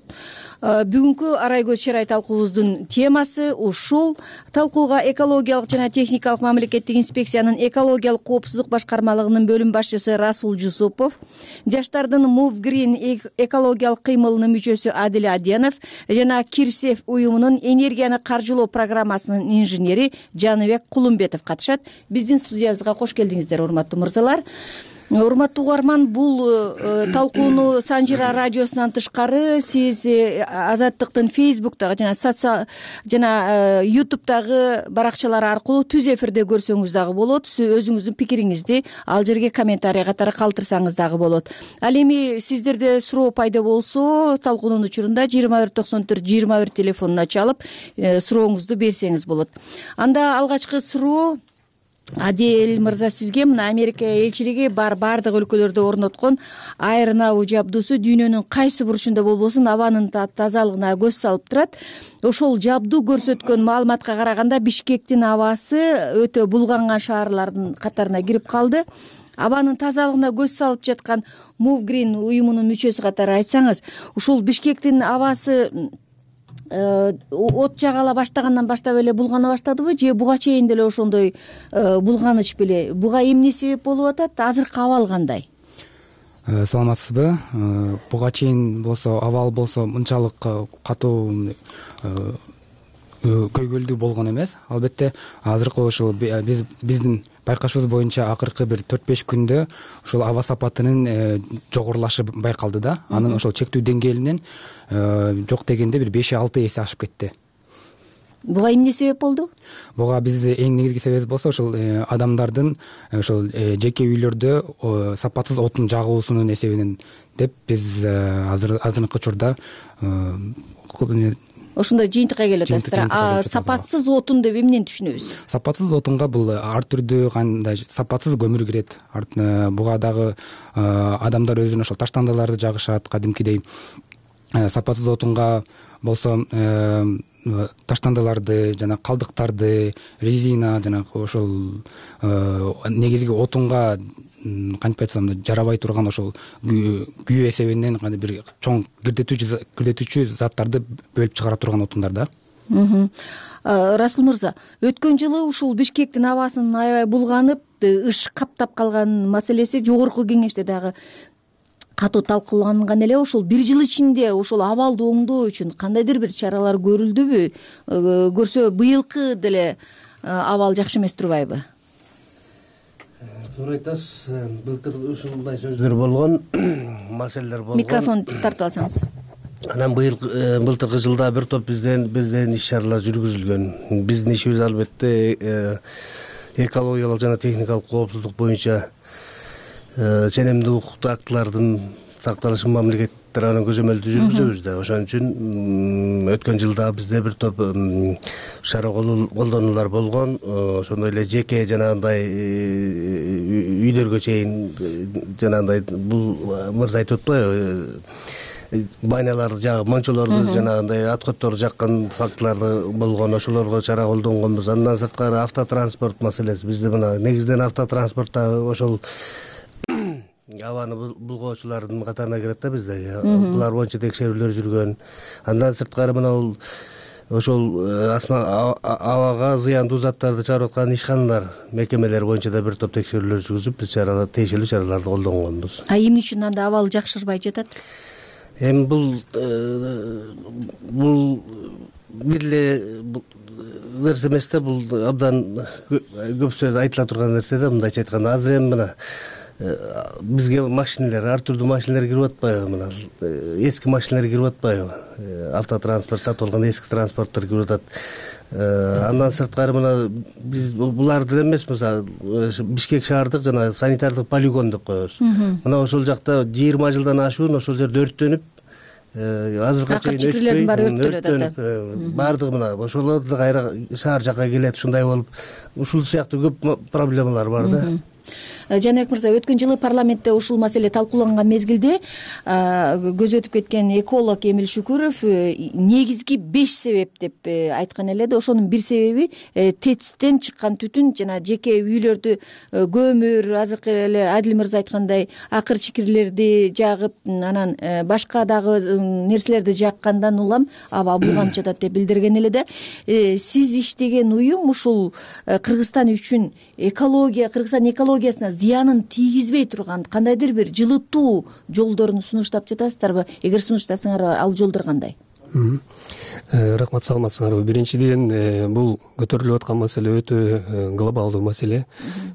Бүгүнкү Арай көз чарай талкуубуздун темасы ушул. Талкууга экологиялык жана техникалык мамлекеттик инспекциянын экологиялык коопсуздук башкармалыгынын бөлүм башчысы Расул Жусупов, жаштардын Move Green экологиялык кыймылынын мүчөсү Адил Аденов жана Кирсев уюмунун энергияны каржылоо программасынын инженери Жаныбек Кулумбетов катышат. Биздин студиябызга кош келдиңиздер, урматтуу мырзалар. урматтуу угарман, бул талкууну Санжира радиосунан тышкары сиз Азаттыктын Фейсбуктагы жана социал жана Ютубтагы баракчалары аркылуу түз эфирде көрсөңүз дагы болот. Өзүңүздүн пикириңизди ал жерге комментарий катары калтырсаңыз дагы болот. Ал эми сиздерде суроо пайда болсо, талкуунун учурунда жыйырма бир токсон төрт жыйырма бир телефонуна чалып сурооңузду берсеңиз болот. Анда алгачкы суроо Адел мырза, сизге мына Америка элчилиги бар бардык өлкөлөрдө орноткон айрынабуу жабдуусу дүйнөнүн кайсы бурчунда болбосун абанын тазалыгына көз салып турат. Ошол жабдуу көрсөткөн маалыматка караганда Бишкектин абасы өтө булганган шаарлардын катарына кирип калды. Абанын тазалыгына көз салып жаткан Мувгрин уюмунун мүчөсү катары айтсаңыз, ушул Бишкектин абасы от жагала баштагандан баштап эле булгана баштадыбы же буга чейин деле ошондой булганыч беле? Буга эмне себеп болуп атат? Азыркы абал кандай? Саламатсызбы? Буга чейин болсо абал болсо мынчалык катуу көйгөйлүү болгон эмес. Албетте азыркы ушул биз биздин байкашыбыз боюнча акыркы бир төрт беш күндө ушул аба сапатынын жогорулашы байкалды да. Анын ошол чектүү деңгээлинен жок дегенде бир беш алты эсе ашып кетти. Буга эмне себеп болду? Буга биз эң негизги себеби болсо ошол адамдардын ошол жеке үйлөрдө сапатсыз отун жагуусунун эсебинен деп биз азыр азыркы учурда ошондой жыйынтыкка келип атасыздар. А сапатсыз отун деп эмнени түшүнөбүз? Сапатсыз отунга бул ар түрдүү кандай сапатсыз көмүр кирет. Буга дагы адамдар өзүнүн ошол таштандыларды жагышат кадимкидей. Сапатсыз отунга болсо таштандыларды жана калдыктарды, резина жана ошол негизги отунга кантип айтсам жарабай турган ошол күйүү эсебинен кандай бир чоң кирдетүүчү кирдетүүчү заттарды бөлүп чыгара турган отундар да. Расул мырза, өткөн жылы ушул Бишкектин абасынын аябай булганып, ыш каптап калган маселеси жогорку кеңеште дагы катуу талкууланган эле. Ошол бир жыл ичинде ошол абалды оңдоо үчүн кандайдыр бир чаралар көрүлдүбү? Көрсө быйылкы деле абал жакшы эмес турбайбы? Туура айтасыз. Былтыр ушундай сөздөр болгон, маселелер болгон. Микрофон тартып алсаңыз. Анан быйыл былтыркы жылда бир топ бизден бизден иш-чаралар жүргүзүлгөн. Биздин ишибиз албетте экологиялык жана техникалык коопсуздук боюнча ченемдүү укуктуу актылардын сакталышын мамлекет тарабынан көзөмөлдүү жүргүзөбүз да. Ошон үчүн өткөн жылда бизде бир топ шара колдонуулар болгон. Ошондой эле жеке жанагындай үйлөргө чейин жанагындай бул мырза айтып атпайбы? Байналарды жагып, мончолорду жанагындай откоттор жаккан фактыларды болгон, ошолорго чара колдонгонбуз. Андан сырткары автотранспорт маселеси. Бизде мына негизинен автотранспортта ошол абаны булгоочулардын катарына кирет да бизде. Булар боюнча текшерүүлөр жүргөн. Андан сырткары мына бул ошол абага зыяндуу заттарды чыгарып аткан ишканалар, мекемелер боюнча да бир топ текшерүүлөр жүргүзүп, биз чаралар, тиешелүү чараларды колдонгонбуз. А эмне үчүн анда абал жакшырбай жатат? Эми бул бул бир эле нерсе эмес да, бул абдан көп сөз айтыла турган нерсе да. Мындайча айтканда, азыр эми мына бизге машиналар, ар түрдүү машиналар кирип атпайбы? Мына эски машиналар кирип атпайбы? Автотранспорт сатып алган эски транспорттор кирип атат. Андан сырткары мына биз буларды эмес, мисалы Бишкек шаардык жана санитардык полигон деп коебуз. Мына ошол жакта жыйырма жылдан ашуун ошол жерде өрттөнүп, азыркыга чейин чекирлердин баары өрттөлүп атат. Баардыгы мына ошолор да кайра шаар жакка келет, ушундай болуп, ушул сыяктуу көп проблемалар бар да. Жаныбек мырза, өткөн жылы парламентте ушул маселе талкууланган мезгилде көз өтүп кеткен эколог Эмил Шүкүров негизги беш себеп деп айткан эле да. Ошонун бир себеби ТЭЦтен чыккан түтүн жана жеке үйлөрдү көмүр, азыркы эле Адил мырза айткандай акыр чикирлерди жагып, анан башка дагы нерселерди жаккандан улам аба булганып жатат деп билдирген эле да. Сиз иштеген уюм ушул Кыргызстан үчүн экология, Кыргызстан экологиясына зыянын тийгизбей турган кандайдыр бир жылытуу жолдорун сунуштап жатасыздарбы? Эгер сунуштасаңар, ал жолдор кандай? Рахмат, саламатсыңарбы. Биринчиден, бул көтөрүлүп аткан маселе өтө глобалдуу маселе.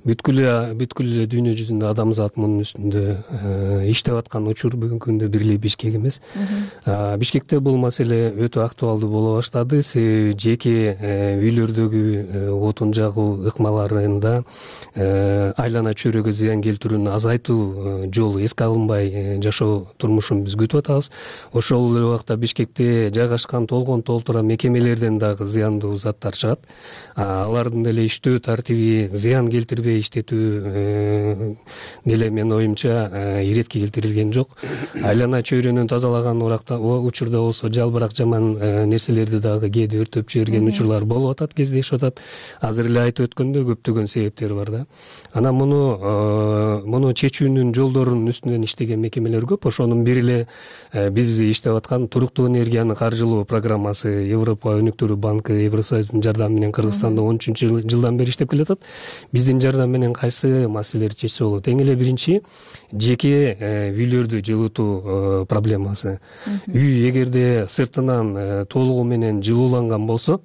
Бүткүл бүткүл эле дүйнө жүзүндө адамзат мунун үстүндө иштеп аткан учур бүгүнкү күндө бир эле Бишкек эмес. Бишкекте бул маселе өтө актуалдуу боло баштады. Себеби жеке үйлөрдөгү отун жагуу ыкмаларында айлана чөйрөгө зыян келтирүүнү азайтуу жолу эске алынбай жашоо турмушун биз күтүп атабыз. Ошол эле убакта Бишкекте жайгашкан толгон толтура мекемелерден дагы зыяндуу заттар чыгат. Алардын деле иштөө тартиби зыян келтирбей иштетүү деле менин оюмча иретке келтирилген жок. Айлана чөйрөнү тазалаган уракта учурда болсо жалбырак жаман нерселерди дагы кээде өртөп жиберген учурлар болуп атат, кездешип атат. Азыр эле айтып өткөндөй көптөгөн себептери бар да. Анан муну муну чечүүнүн жолдорунун үстүнөн иштеген мекемелер көп. Ошонун бири эле биз иштеп аткан туруктуу энергияны каржылоо программасы Европа өнүктүрүү банкы Евросоюздун жардамы менен Кыргызстанда он үчүнчү жылдан бери иштеп келатат. Биздин жардам менен кайсы маселелерди чечсе болот? Эң эле биринчи жеке үйлөрдү жылытуу проблемасы. Үй эгерде сыртынан толугу менен жылууланган болсо,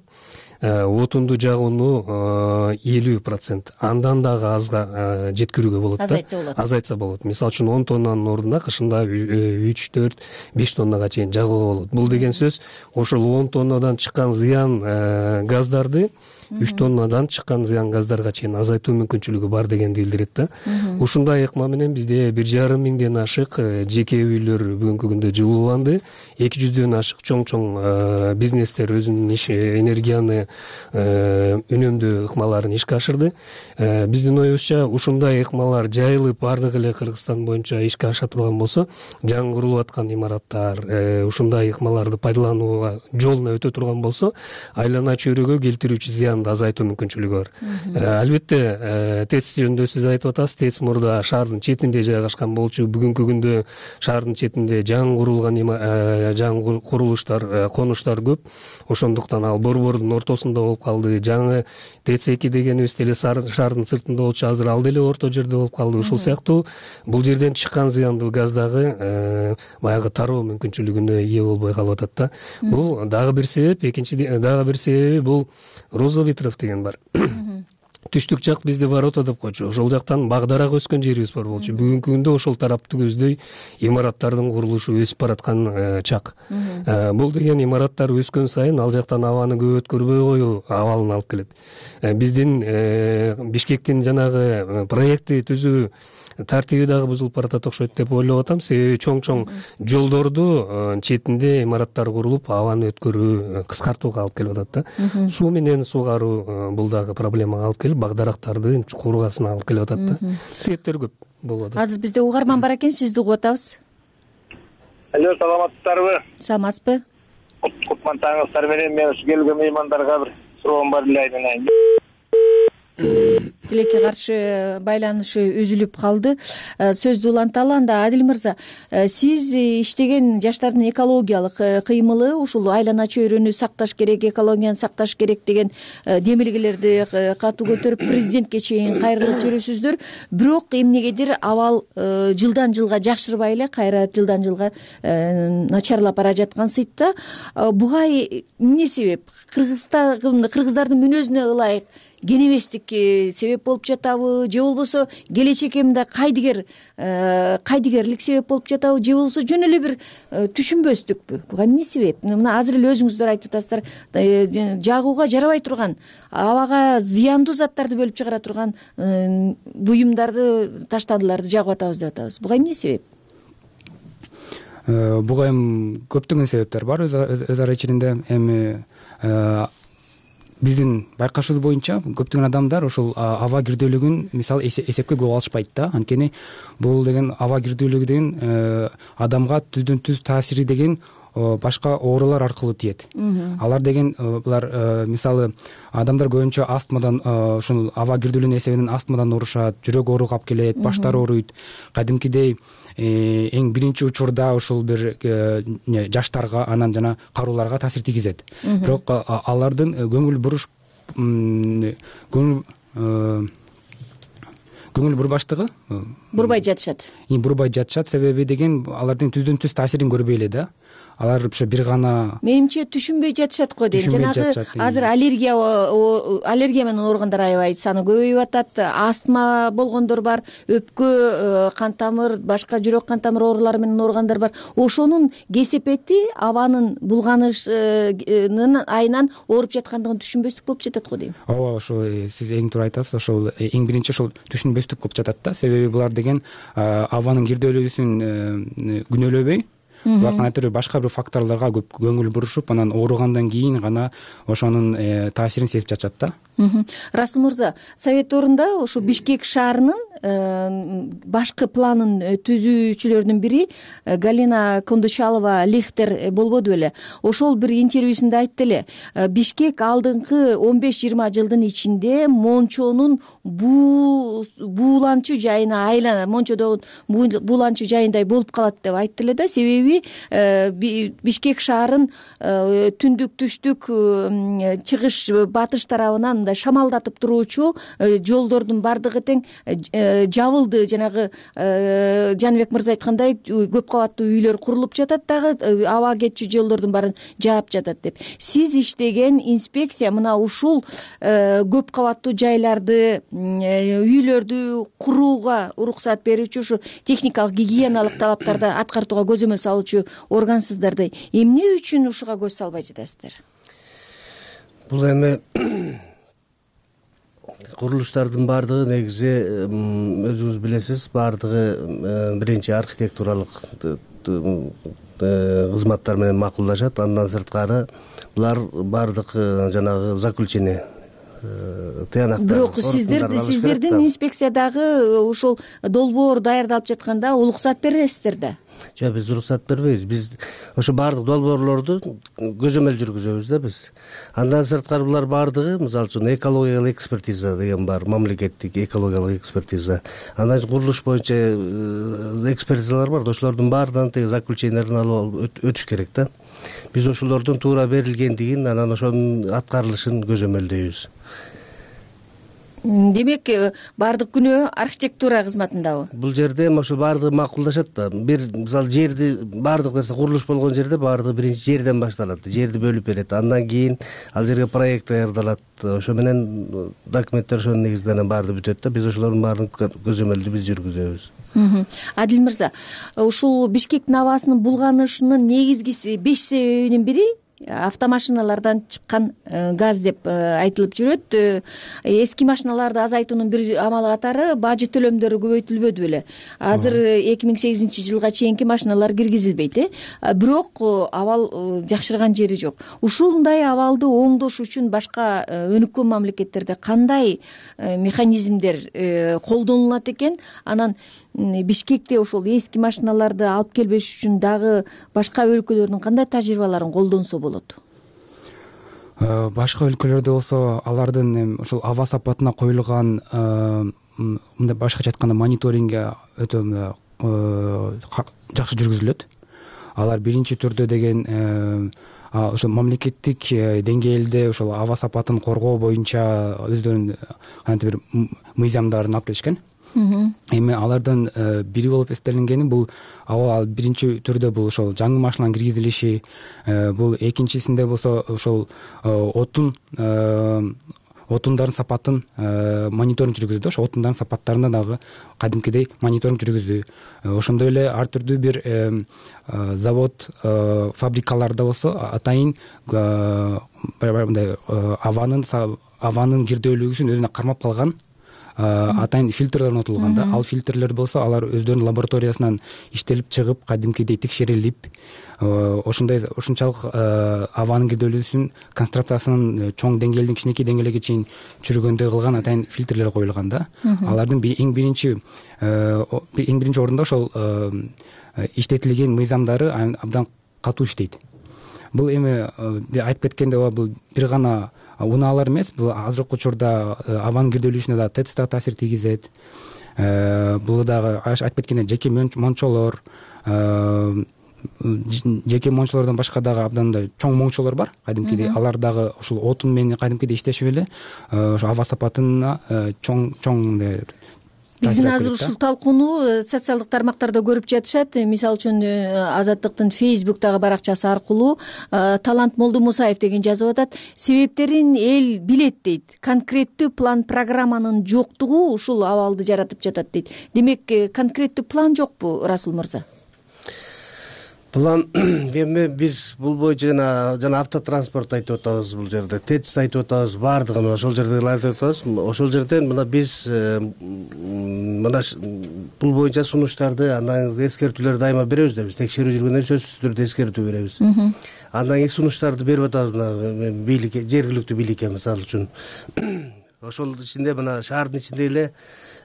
отунду жагууну элүү процент андан дагы азга жеткирүүгө болот да. Азайтса болот. Азайтса болот. Мисалы үчүн он тоннанын ордуна кышында үч, төрт, беш тоннага чейин жагууга болот. Бул деген сөз ошол он тоннадан чыккан зыян газдарды үч тоннадан чыккан зыян газдарга чейин азайтуу мүмкүнчүлүгү бар дегенди билдирет да. Ушундай ыкма менен бизде бир жарым миңден ашык жеке үйлөр бүгүнкү күндө жылууланды. эки жүздөн ашык чоң-чоң бизнестер өзүнүн иш энергияны үнөмдөө ыкмаларын ишке ашырды. Биздин оюбузча ушундай ыкмалар жайылып бардык эле Кыргызстан боюнча ишке аша турган болсо, жаңы курулуп аткан имараттар ушундай ыкмаларды пайдаланууга жолуна өтө турган болсо, айлана чөйрөгө келтирүүчү зыянды азайтуу мүмкүнчүлүгү бар. Албетте, ТЭЦ жөнүндө сиз айтып атасыз. ТЭЦ мурда шаардын четинде жайгашкан болчу. Бүгүнкү күндө шаардын четинде жаңы курулган жаңы курулуштар, конуштар көп. Ошондуктан ал борбордун ортосунда болуп калды. Жаңы ТЭЦ эки дегенибиз деле шаардын сыртында болчу, азыр ал деле орто жерде болуп калды. Ушул сыяктуу бул жерден чыккан зыяндуу газ дагы баягы тароо мүмкүнчүлүгүнө ээ болбой калып атат да. Бул дагы бир себеп. Экинчи дагы бир себеби бул Розоветров деген бар. Түштүк жак бизде ворота деп койчу. Ошол жактан багдарак өскөн жерибиз бар болчу. Бүгүнкү күндө ошол тарапты көздөй имараттардын курулушу өсүп бараткан чак. Бул деген имараттар өскөн сайын ал жактан абаны көп өткөрбөй коюу абалын алып келет. Биздин Бишкектин жанагы проекти түзүү тартиби дагы бузулуп баратат окшойт деп ойлоп атам. Себеби чоң-чоң жолдорду четинде имараттар курулуп, абаны өткөрүү кыскартууга алып келип атат да. Суу менен суугаруу бул дагы проблемага алып келип, багдарактарды кургасына алып келип атат да. Себептер көп болуп атат. Азыр бизде угарман бар экен, сизди угуп атабыз. Алло, саламатсыздарбы? Саламатсызбы? Кутман таңыңыздар менен мен ушу келген меймандарга бир суроом бар эле айнын. Тилекке каршы байланышы үзүлүп калды. Сөздү уланталы. Анда Адил мырза, сиз иштеген жаштардын экологиялык кыймылы ушул айлана чөйрөнү сакташ керек, экологияны сакташ керек деген демилгелерди катуу көтөрүп президентке чейин кайрылып жүрүсүздөр. Бирок эмнегедир абал жылдан жылга жакшырбай эле, кайра жылдан жылга начарлап бара жаткан сыйт да. Буга эмне себеп? Кыргызстан кыргыздардын мүнөзүнө ылайык кенебештик себеп болуп жатабы, же болбосо келечекке мында кайдыгер кайдыгерлик себеп болуп жатабы, же болбосо жөн эле бир түшүнбөстүкпү? Буга эмне себеп? Мына азыр эле өзүңүздөр айтып атасыздар, жагууга жарабай турган, абага зыяндуу заттарды бөлүп чыгара турган буюмдарды, таштандыларды жагып атабыз деп атабыз. Буга эмне себеп? Буга эми көптөгөн себептер бар өз ара ичинде. Эми биздин байкашыбыз боюнча көптөгөн адамдар ошол аба кирдүүлүгүн мисалы эсепке көп алышпайт да. Анткени бул деген аба кирдүүлүгү деген адамга түздөн түз таасири деген башка оорулар аркылуу тиет. Алар деген булар мисалы адамдар көбүнчө астмадан, ушул аба кирдүүлүгүнүн эсебинен астмадан оорушат, жүрөк ооругу алып келет, баштары ооруйт. Кадимкидей эң биринчи учурда ушул бир жаштарга, анан жана карууларга таасир тийгизет. Бирок алардын көңүл буруш көңүл көңүл бурбаштыгы бурбай жатышат бурбай жатышат. Себеби деген алардын түздөн түз таасирин көрбөй эле да. Алар ушу бир гана менимче түшүнбөй жатышат го дейм. Жанагы азыр аллергия аллергия менен ооругандар аябай саны көбөйүп атат. Астма болгондор бар, өпкө, кан тамыр, башка жүрөк кан тамыр оорулары менен ооругандар бар. Ошонун кесепети абанын булганышынын айынан ооруп жаткандыгын түшүнбөстүк болуп жатат го дейм. Ооба, ошол сиз эң туура айтасыз. Ошол эң биринчи ошол түшүнбөстүк болуп жатат да. Себеби булар деген абанын кирделүүсүн күнөөлөбөй, булар кандайдыр башка бир факторлорго көп көңүл бурушуп, анан ооругандан кийин гана ошонун таасирин сезип жатышат да. Расул мырза, совет орунда ушу Бишкек шаарынын башкы планын түзүүчүлөрүнүн бири Галина Кондучалова Лихтер болбоду беле? Ошол бир интервьюсунда айтты эле, Бишкек алдыңкы он беш жыйырма жылдын ичинде Мончонун бууланчу жайына айлана, Мончодогу бууланчу жайындай болуп калат деп айтты эле да. Себеби Бишкек шаарын түндүк, түштүк, чыгыш, батыш тарабынан шамалдатып туруучу жолдордун бардыгы тең жабылды. Жанагы Жаныбек мырза айткандай көп кабаттуу үйлөр курулуп жатат, дагы аба кетчү жолдордун баарын жаап жатат деп. Сиз иштеген инспекция мына ушул көп кабаттуу жайларды, үйлөрдү курууга уруксат берүүчү, ушу техникалык гигиеналык талаптарды аткартууга көзөмөл салуучу органсыздарды эмне үчүн ушуга көз салбай жатасыздар? Бул эми курулуштардын баардыгы негизи өзүңүз билесиз, баардыгы биринчи архитектуралык кызматтар менен макулдашат. Андан сырткары булар баардык жанагы заключение тыянактар. Бирок сиздерди сиздердин инспекциядагы ушул долбоор даярдалып жатканда уруксат бересиздер да? Жок, биз уруксат бербейбиз. Биз ошо баардык долбоорлорду көзөмөл жүргүзөбүз да биз. Андан сырткары булар баардыгы, мисалы үчүн, экологиялык экспертиза деген бар, мамлекеттик экологиялык экспертиза. Андан кийин курулуш боюнча экспертизалар бар. Ошолордун баарынан теги заключенияларын алып өтүш керек да. Биз ошолордун туура берилгендигин, анан ошонун аткарылышын көзөмөлдөйбүз. Демек, баардык күнөө архитектура кызматындабы? Бул жерде ошол баардыгы макулдашат да. Бир мисалы жерди баардык нерсе курулуш болгон жерде баардыгы биринчи жерден башталат. Жерди бөлүп берет. Андан кийин ал жерге проект даярдалат. Ошо менен документтер ошонун негизинде баардыгы бүтөт да. Биз ошолордун баарын көзөмөлдү биз жүргүзөбүз. Адил мырза, ушул Бишкектин абасынын булганышынын негизги беш себебинин бири автомашиналардан чыккан газ деп айтылып жүрөт. Эски машиналарды азайтуунун бир амалы катары бажы төлөмдөрү көбөйтүлбөдү беле? Азыр эки миң сегизинчи жылга чейинки машиналар киргизилбейт, э? Бирок абал жакшырган жери жок. Ушундай абалды оңдош үчүн башка өнүккөн мамлекеттерде кандай механизмдер колдонулат экен? Анан Бишкекте ошол эски машиналарды алып келбеш үчүн дагы башка өлкөлөрдүн кандай тажрыйбаларын колдонсо болот? Башка өлкөлөрдө болсо алардын ошол аба сапатына коюлган, мындай башкача айтканда, мониторинги өтө жакшы жүргүзүлөт. Алар биринчи түрдө деген ошол мамлекеттик деңгээлде ошол аба сапатын коргоо боюнча өздөрүнүн кантип бир мыйзамдарын алып келишкен. Эми алардын бири болуп эстелингени бул аба биринчи түрдө бул ошол жаңы машиналардын киргизилиши, бул экинчисинде болсо ошол отун отундардын сапатын мониторинг жүргүздү. Ошо отундардын сапаттарына дагы кадимкидей мониторинг жүргүздү. Ошондой эле ар түрдүү бир завод, фабрикаларда болсо атайын мындай абанын абанын кирделүүлүгүн өзүнө кармап калган атайын фильтрлер орнотулган да. Ал фильтрлер болсо алар өздөрүнүн лабораториясынан иштелип чыгып, кадимкидей текшерилип, ошондой ушунчалык абанын кирделүүсүн концентрациясынын чоң деңгээлден кичинекей деңгээлге чейин чүргөндөй кылган атайын фильтрлер коюлган да. Алардын эң биринчи эң биринчи орунда ошол иштетилген мыйзамдары абдан катуу иштейт. Бул эми айтып кеткендей, бул бир гана унаалар эмес, бул азыркы учурда абанын кирделүүсүнө да ТЭЦ да таасир тийгизет. Бул дагы айтып кеткендей жеке мончолор, жеке мончолордон башка дагы абдан чоң мончолор бар, кадимкидей. Алар дагы ушул отун менен кадимкидей иштешип эле ошо аба сапатына чоң чоң биздин азыр ушул талкууну социалдык тармактарда көрүп жатышат. Мисалы үчүн Азаттыктын фейсбуктагы баракчасы аркылуу Талант Молдомусаев деген жазып атат. Себептерин эл билет дейт. Конкреттүү план программанын жоктугу ушул абалды жаратып жатат дейт. Демек конкреттүү план жокпу, Расул мырза? План эми биз бул боюнча жана жана автотранспорт айтып атабыз, бул жерде тэц айтып атабыз, баардыгын ошол жердегилерди айтып атабыз. Ошол жерден мына биз мына бул боюнча сунуштарды, андан эскертүүлөрдү дайыма беребиз да, биз текшерүү жүргөндө сөзсүз түрдө эскертүү беребиз. Андан кийин сунуштарды берип атабыз мына бийликке, жергиликтүү бийликке мисалы үчүн. Ошол ичинде мына шаардын ичинде эле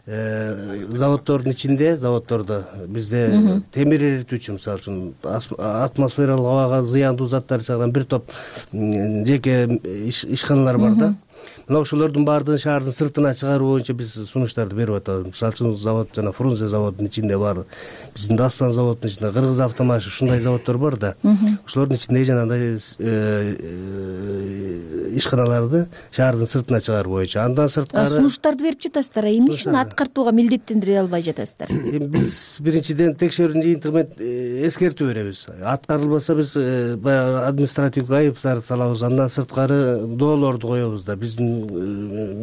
заводдордун ичинде, заводдордо бизде темир эритүүчү, мисалы үчүн атмосфералык абага зыяндуу заттар чыгарган бир топ жеке ишканалар бар да. Мына ошолордун баардыгын шаардын сыртына чыгаруу боюнча биз сунуштарды берип атабыз. Мисалы үчүн завод жана Фрунзе заводунун ичинде бар, биздин Дастан заводунун ичинде, Кыргыз автомаш, ушундай заводдор бар да. Ошолордун ичиндеги жанагындай ишканаларды шаардын сыртына чыгаруу боюнча. Андан сырткары сунуштарды берип жатасыздар. Эмне үчүн аткартууга милдеттендире албай жатасыздар? Эми биз биринчиден текшерүүнүн жыйынтыгы менен эскертүү беребиз. Аткарылбаса биз баягы административдик айып салабыз. Андан сырткары доолорду коебуз да. Биздин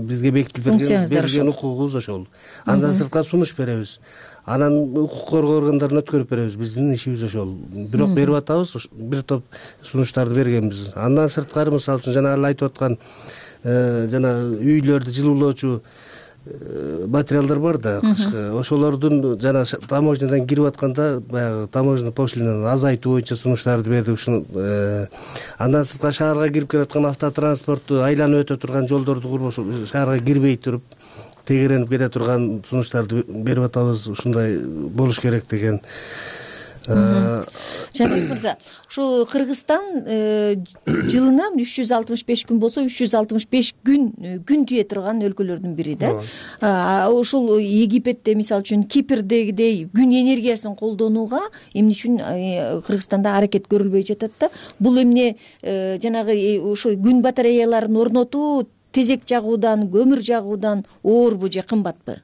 бизге бекитилген берилген укугубуз ошол. Андан сырткары сунуш беребиз. Анан укук коргоо органдарына өткөрүп беребиз. Биздин ишибиз ошол. Бирок берип атабыз, бир топ сунуштарды бергенбиз. Андан сырткары мисалы үчүн жана айтып аткан жана үйлөрдү жылуулоочу материалдар бар да, кышкы. Ошолордун жана таможнядан кирип атканда баягы таможня пошлинаны азайтуу боюнча сунуштарды бердик. Ушуну андан сырткары шаарга кирип келаткан автотранспортту айланып өтө турган жолдорду куруп, ошол шаарга кирбей туруп тегеренип кете турган сунуштарды берип атабыз. Ушундай болуш керек деген. Жанбек мырза, ушу Кыргызстан жылына үч жүз алтымыш беш күн болсо, үч жүз алтымыш беш күн күн тие турган өлкөлөрдүн бири да. Ушул Египетте мисалы үчүн Кипрдегидей күн энергиясын колдонууга эмне үчүн Кыргызстанда аракет көрүлбөй жатат да? Бул эмне жанагы ушу күн батареяларын орнотуу тезек жагуудан, көмүр жагуудан оорбу же кымбатпы?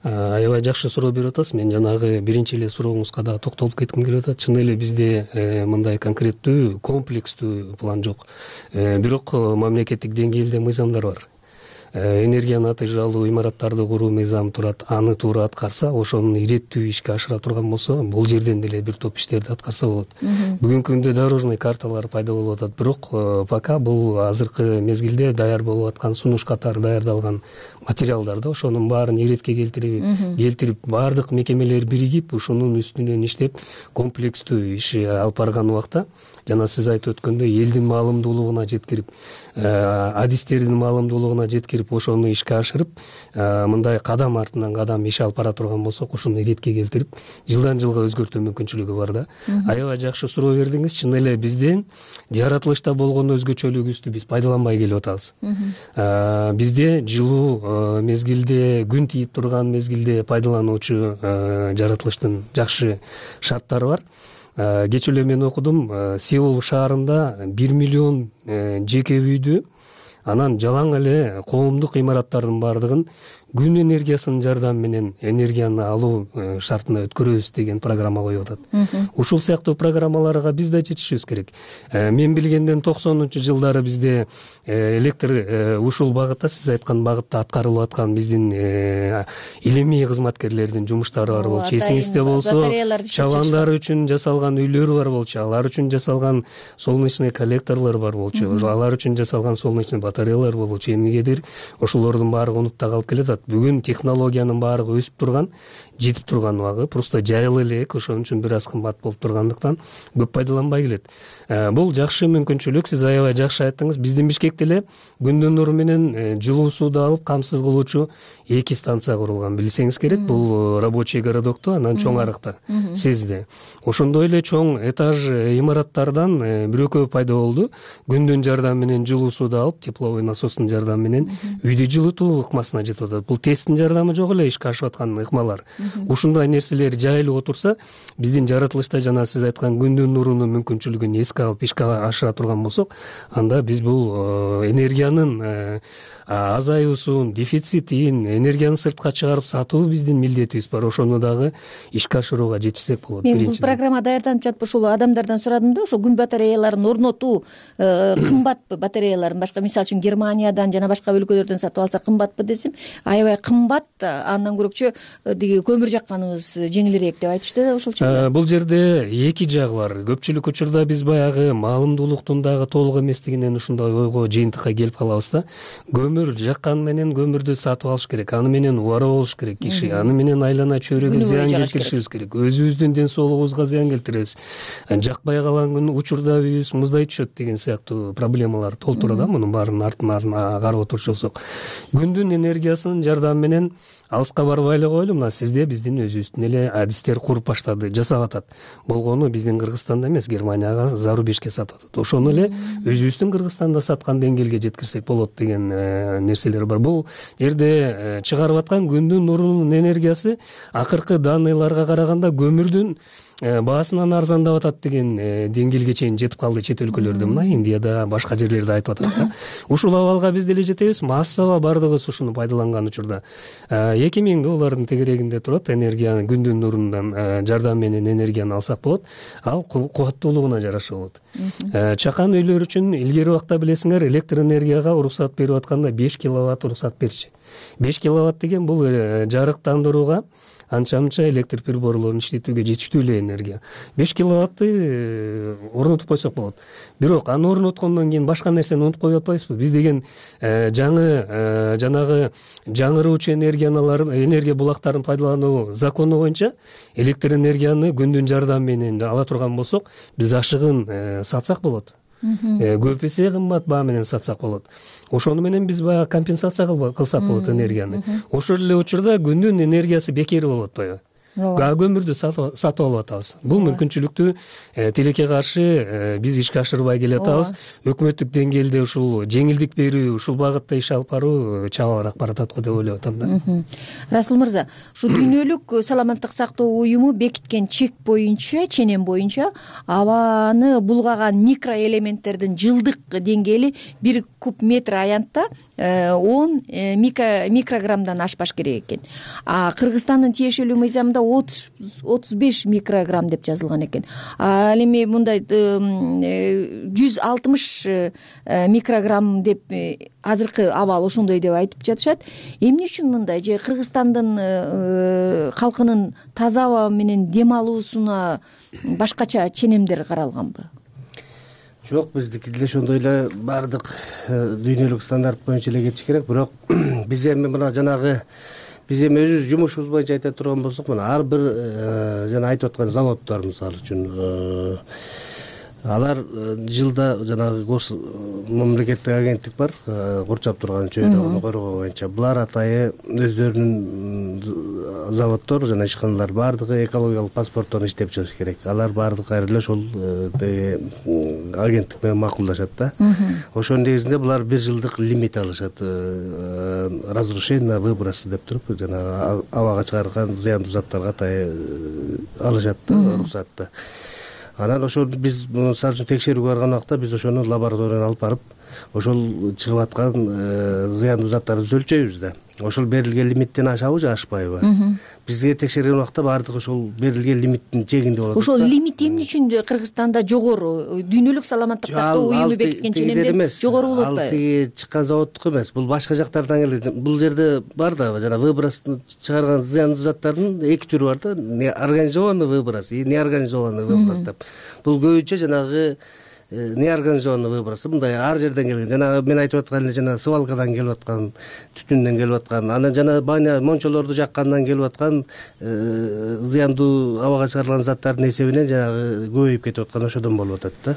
Аябай жакшы суроо берип атасыз. Мен жанагы биринчи эле сурооңузга да токтолуп кетким келип атат. Чын эле бизде мындай конкреттүү, комплекстүү план жок. Бирок мамлекеттик деңгээлде мыйзамдар бар. Энергияны атыйжалуу имараттарды куруу мыйзамы турат. Аны туура аткарса, ошонун иреттүү ишке ашыра турган болсо, бул жерден деле бир топ иштерди аткарса болот. Бүгүнкү күндө дорожный карталар пайда болуп атат, бирок пока бул азыркы мезгилде даяр болуп аткан сунуш катары даярдалган материалдар да. Ошонун баарын иретке келтирип, келтирип баардык мекемелер биригип, ушунун үстүнөн иштеп, комплекстүү иш алып барган убакта, жана сиз айтып өткөндөй, элдин маалымдуулугуна жеткирип, адистердин маалымдуулугуна жеткирип, ошону ишке ашырып, мындай кадам артынан кадам иш алып бара турган болсок, ушуну иретке келтирип, жылдан жылга өзгөртүү мүмкүнчүлүгү бар да. Аябай жакшы суроо бердиңиз. Чын эле бизден жаратылышта болгон өзгөчөлүгүбүздү биз пайдаланбай келип атабыз. Бизде жылуу мезгилде, күн тийип турган мезгилде пайдалануучу жаратылыштын жакшы шарттары бар. Кечээ эле мен окудум, Сеул шаарында бир миллион жеке үйдү, анан жалаң эле коомдук имараттардын баардыгын күн энергиясынын жардамы менен энергияны алуу шартына өткөрөбүз деген программа коюп атат. Ушул сыяктуу программаларга биз да жетишибиз керек. Мен билгенден токсонунчу жылдары бизде электр ушул багытта, сиз айткан багытта аткарылып аткан биздин илимий кызматкерлердин жумуштары бар болчу. Эсиңизде болсо, чабандар үчүн жасалган үйлөр бар болчу, алар үчүн жасалган солнечный коллекторлор бар болчу, алар үчүн жасалган солнечный батареялар болчу. Эмнегедир ошолордун баары унутта калып келатат. Бүгүн технологиянын баардыгы өсүп турган, жетип турган убагы, просто жайылы элек, ошон үчүн бир аз кымбат болуп тургандыктан көп пайдаланбай келет. Бул жакшы мүмкүнчүлүк, сиз аябай жакшы айттыңыз. Биздин Бишкекте эле күндүн нуру менен жылуу сууду алып камсыз кылуучу эки станция курулган, билсеңиз керек. Бул рабочий городокто, анан чоң арыкта, Сезде. Ошондой эле чоң этаж имараттардан бирөкөө пайда болду. Күндүн жардамы менен жылуу сууду алып, тепловой насостун жардамы менен үйдү жылытуу ыкмасына жетип атат. бул тесттин жардамы жок эле ишке ашып аткан ыкмалар. Ушундай нерселер жайылып отурса, биздин жаратылышта жана сиз айткан күндүн нурунун мүмкүнчүлүгүн эске алып ишке ашыра турган болсок, анда биз бул энергиянын азаюусун, дефицитин, энергияны сыртка чыгарып сатуу биздин милдетибиз бар. Ошону дагы ишке ашырууга жетишсек болот. Мен бул программа даярданып жатып ушул адамдардан сурадым да, ошо күн батареяларын орнотуу кымбатпы, батареяларын башка, мисалы үчүн Германиядан жана башка өлкөлөрдөн сатып алса кымбатпы десем, аябай кымбат, андан көрөкчө тиги көмүр жакканыбыз жеңилирээк деп айтышты да, ошолчу. Бул жерде эки жагы бар. Көпчүлүк учурда биз баягы маалымдуулуктун дагы толук эместигинен ушундай ойго, жыйынтыкка келип калабыз да. Көмүр жаккан менен көмүрдү сатып алыш керек, аны менен убара болуш керек киши, аны менен айлана чөйрөгө зыян келтиришибиз керек, өзүбүздүн ден соолугубузга зыян келтиребиз, жакпай калган күнү учурда үйүбүз муздай түшөт деген сыяктуу проблемалар толтура да. Мунун баарынын артынан карап отурчу болсок, күндүн энергиясынын жардамы менен алыска барбай эле коелу, мына сизде биздин өзүбүздүн эле адистер куруп баштады, жасап атат. Болгону биздин Кыргызстанда эмес, Германияга, зарубежге сатып атат. Ошону эле өзүбүздүн Кыргызстанда саткан деңгээлге жеткирсек болот деген нерселер бар. Бул жерде чыгарып аткан күндүн нурунун энергиясы акыркы данныйларга караганда көмүрдүн баасынан арзандап атат деген деңгээлге чейин жетип калды чет өлкөлөрдө, мына Индияда, башка жерлерде айтып атат да. Ушул абалга биз деле жетебиз, массаба бардыгыбыз ушуну пайдаланган учурда эки миң доллардын тегерегинде турат, энергияны күндүн нурунан жардам менен энергияны алсак болот. Ал кубаттуулугуна жараша болот. Чакан үйлөр үчүн илгери убакта билесиңер, электр энергияга уруксат берип атканда беш киловатт уруксат берчү. беш киловатт деген бул жарыктандырууга, анча-мынча электр приборлорун иштетүүгө жетиштүү эле энергия. беш киловатты орнотуп койсок болот. Бирок аны орноткондон кийин башка нерсени унутуп коюп атпайбызбы? Биз деген жаңы жанагы жаңыруучу энергияларын, энергия булактарын пайдалануу закону боюнча электр энергияны күндүн жардамы менен ала турган болсок, биз ашыгын сатсак болот. Көп эсе кымбат баа менен сатсак болот. Ошону менен биз баягы компенсация кылсак болот энергияны. Ошол эле учурда күндүн энергиясы бекер болуп атпайбы? Көмүрдү сатып алып атабыз. Бул мүмкүнчүлүктү тилекке каршы биз ишке ашырбай келе атабыз. Өкмөттүк деңгээлде ушул жеңилдик берүү, ушул багытта иш алып баруу чабалыраак баратат го деп ойлоп атам да. Расул мырза, ушу дүйнөлүк саламаттык сактоо уюму бекиткен чек боюнча, ченем боюнча абаны булгаган микроэлементтердин жылдык деңгээли бир куб метр аянтта он микрограммдан ашпаш керек экен. А Кыргызстандын тиешелүү мыйзамында отуз беш микрограмм деп жазылган экен. Ал эми мындай жүз алтымыш микрограмм деп азыркы абал ошондой деп айтып жатышат. Эмне үчүн мындай? Же Кыргызстандын калкынын таза аба менен дем алуусуна башкача ченемдер каралганбы? Жок, биздики деле ошондой эле баардык дүйнөлүк стандарт боюнча эле кетиш керек. Бирок биз эми мына жанагы биз эми өзүбүз жумушубуз боюнча айта турган болсок, мына ар бир жана айтып аткан заводдор мисалы үчүн алар жылда жанагы гос мамлекеттик агенттик бар, курчап турган чөйрөгүнү коргоо боюнча. Булар атайы өздөрүнүн заводдор жана ишканалар баардыгы экологиялык паспорттон иштеп чыгыш керек. Алар баардык кайра эле ошол агенттик менен макулдашат да. Ошонун негизинде булар бир жылдык лимит алышат, разрешение на выбросы деп туруп, жанагы абага чыгарган зыяндуу заттарга атайы алышат уруксатты. Анан ошол биз мисалы үчүн текшерүүгө барган убакта биз ошону лабораторияга алып барып, ошол чыгып аткан зыяндуу заттарды өлчөйбүз да. Ошол берилген лимиттен ашабы же ашпайбы? Бизге текшерген убакта баардык ошол берилген лимиттин чегинде болот. Ошол лимит эмне үчүн Кыргызстанда жогору? Дүйнөлүк саламаттык сактоо уюму бекиткен ченемдер жогору болот атпайбы? Ал тиги чыккан заводдук эмес. Бул башка жактардан келет. Бул жерде бар да, жана выброс чыгарган зыяндуу заттардын эки түрү бар да. Организованный выброс и неорганизованный выброс деп. Бул көбүнчө жанагы неорганизованный выброс, мындай ар жерден келген. Жана мен айтып аткан эле жана свалкадан келип аткан, түтүндөн келип аткан, анан жана баня мончолорду жаккандан келип аткан зыяндуу абага чыгарылган заттардын эсебинен жанагы көбөйүп кетип аткан ошодон болуп атат да.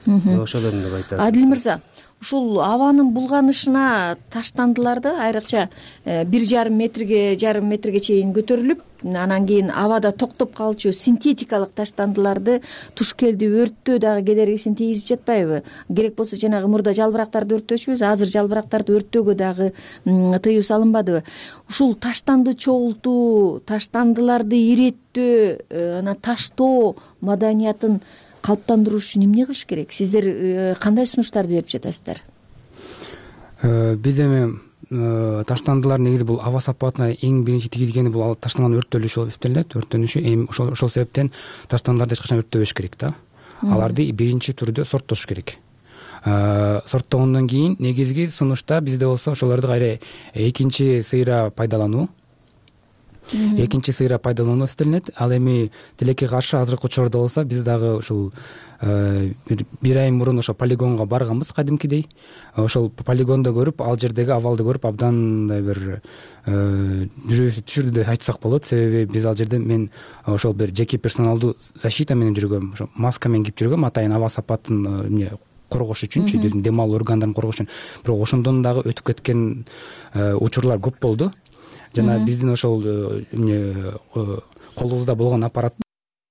ошодон деп айтат. Адил мырза, ушул абанын булганышына таштандыларды айрыкча бир жарым метрге жарым метрге чейин көтөрүлүп, анан кийин абада токтоп калчу синтетикалык таштандыларды туш келди өрттөө дагы кедергисин тийгизип жатпайбы? Керек болсо жанагы мурда жалбырактарды өрттөчүбүз, азыр жалбырактарды өрттөөгө дагы тыюу салынбадыбы? Ушул таштанды чогултуу, таштандыларды иреттөө, анан таштоо маданиятын калыптандыруу үчүн эмне кылыш керек? Сиздер кандай сунуштарды берип жатасыздар? Биз эми таштандылар негизи бул аба сапатына эң биринчи тийгизгени бул таштандын өрттөлүшү болуп эсептелет. Өрттөнүшү эми ошол себептен таштандыларды эч качан өрттөбөш керек да. Аларды биринчи түрдө сорттош керек. Сорттогондон кийин негизги сунушта бизде болсо ошолорду кайра экинчи сыйра пайдалануу экинчи сыйра пайдалануу эсептелинет. Ал эми тилекке каршы азыркы учурда болсо биз дагы ушул бир ай мурун ошо полигонго барганбыз кадимкидей. Ошол полигондо көрүп, ал жердеги абалды көрүп абдан мындай бир жүрөгүбүз түшүрдү деп айтсак болот. Себеби биз ал жерде мен ошол бир жеке персоналдуу защита менен жүргөм, ошо маска менен кийип жүргөм, атайын аба сапатын эмне коргош үчүнчү, дем алуу органдарын коргош үчүн. Бирок ошондон дагы өтүп кеткен учурлар көп болду. Жана биздин ошол эмне колубузда болгон аппарат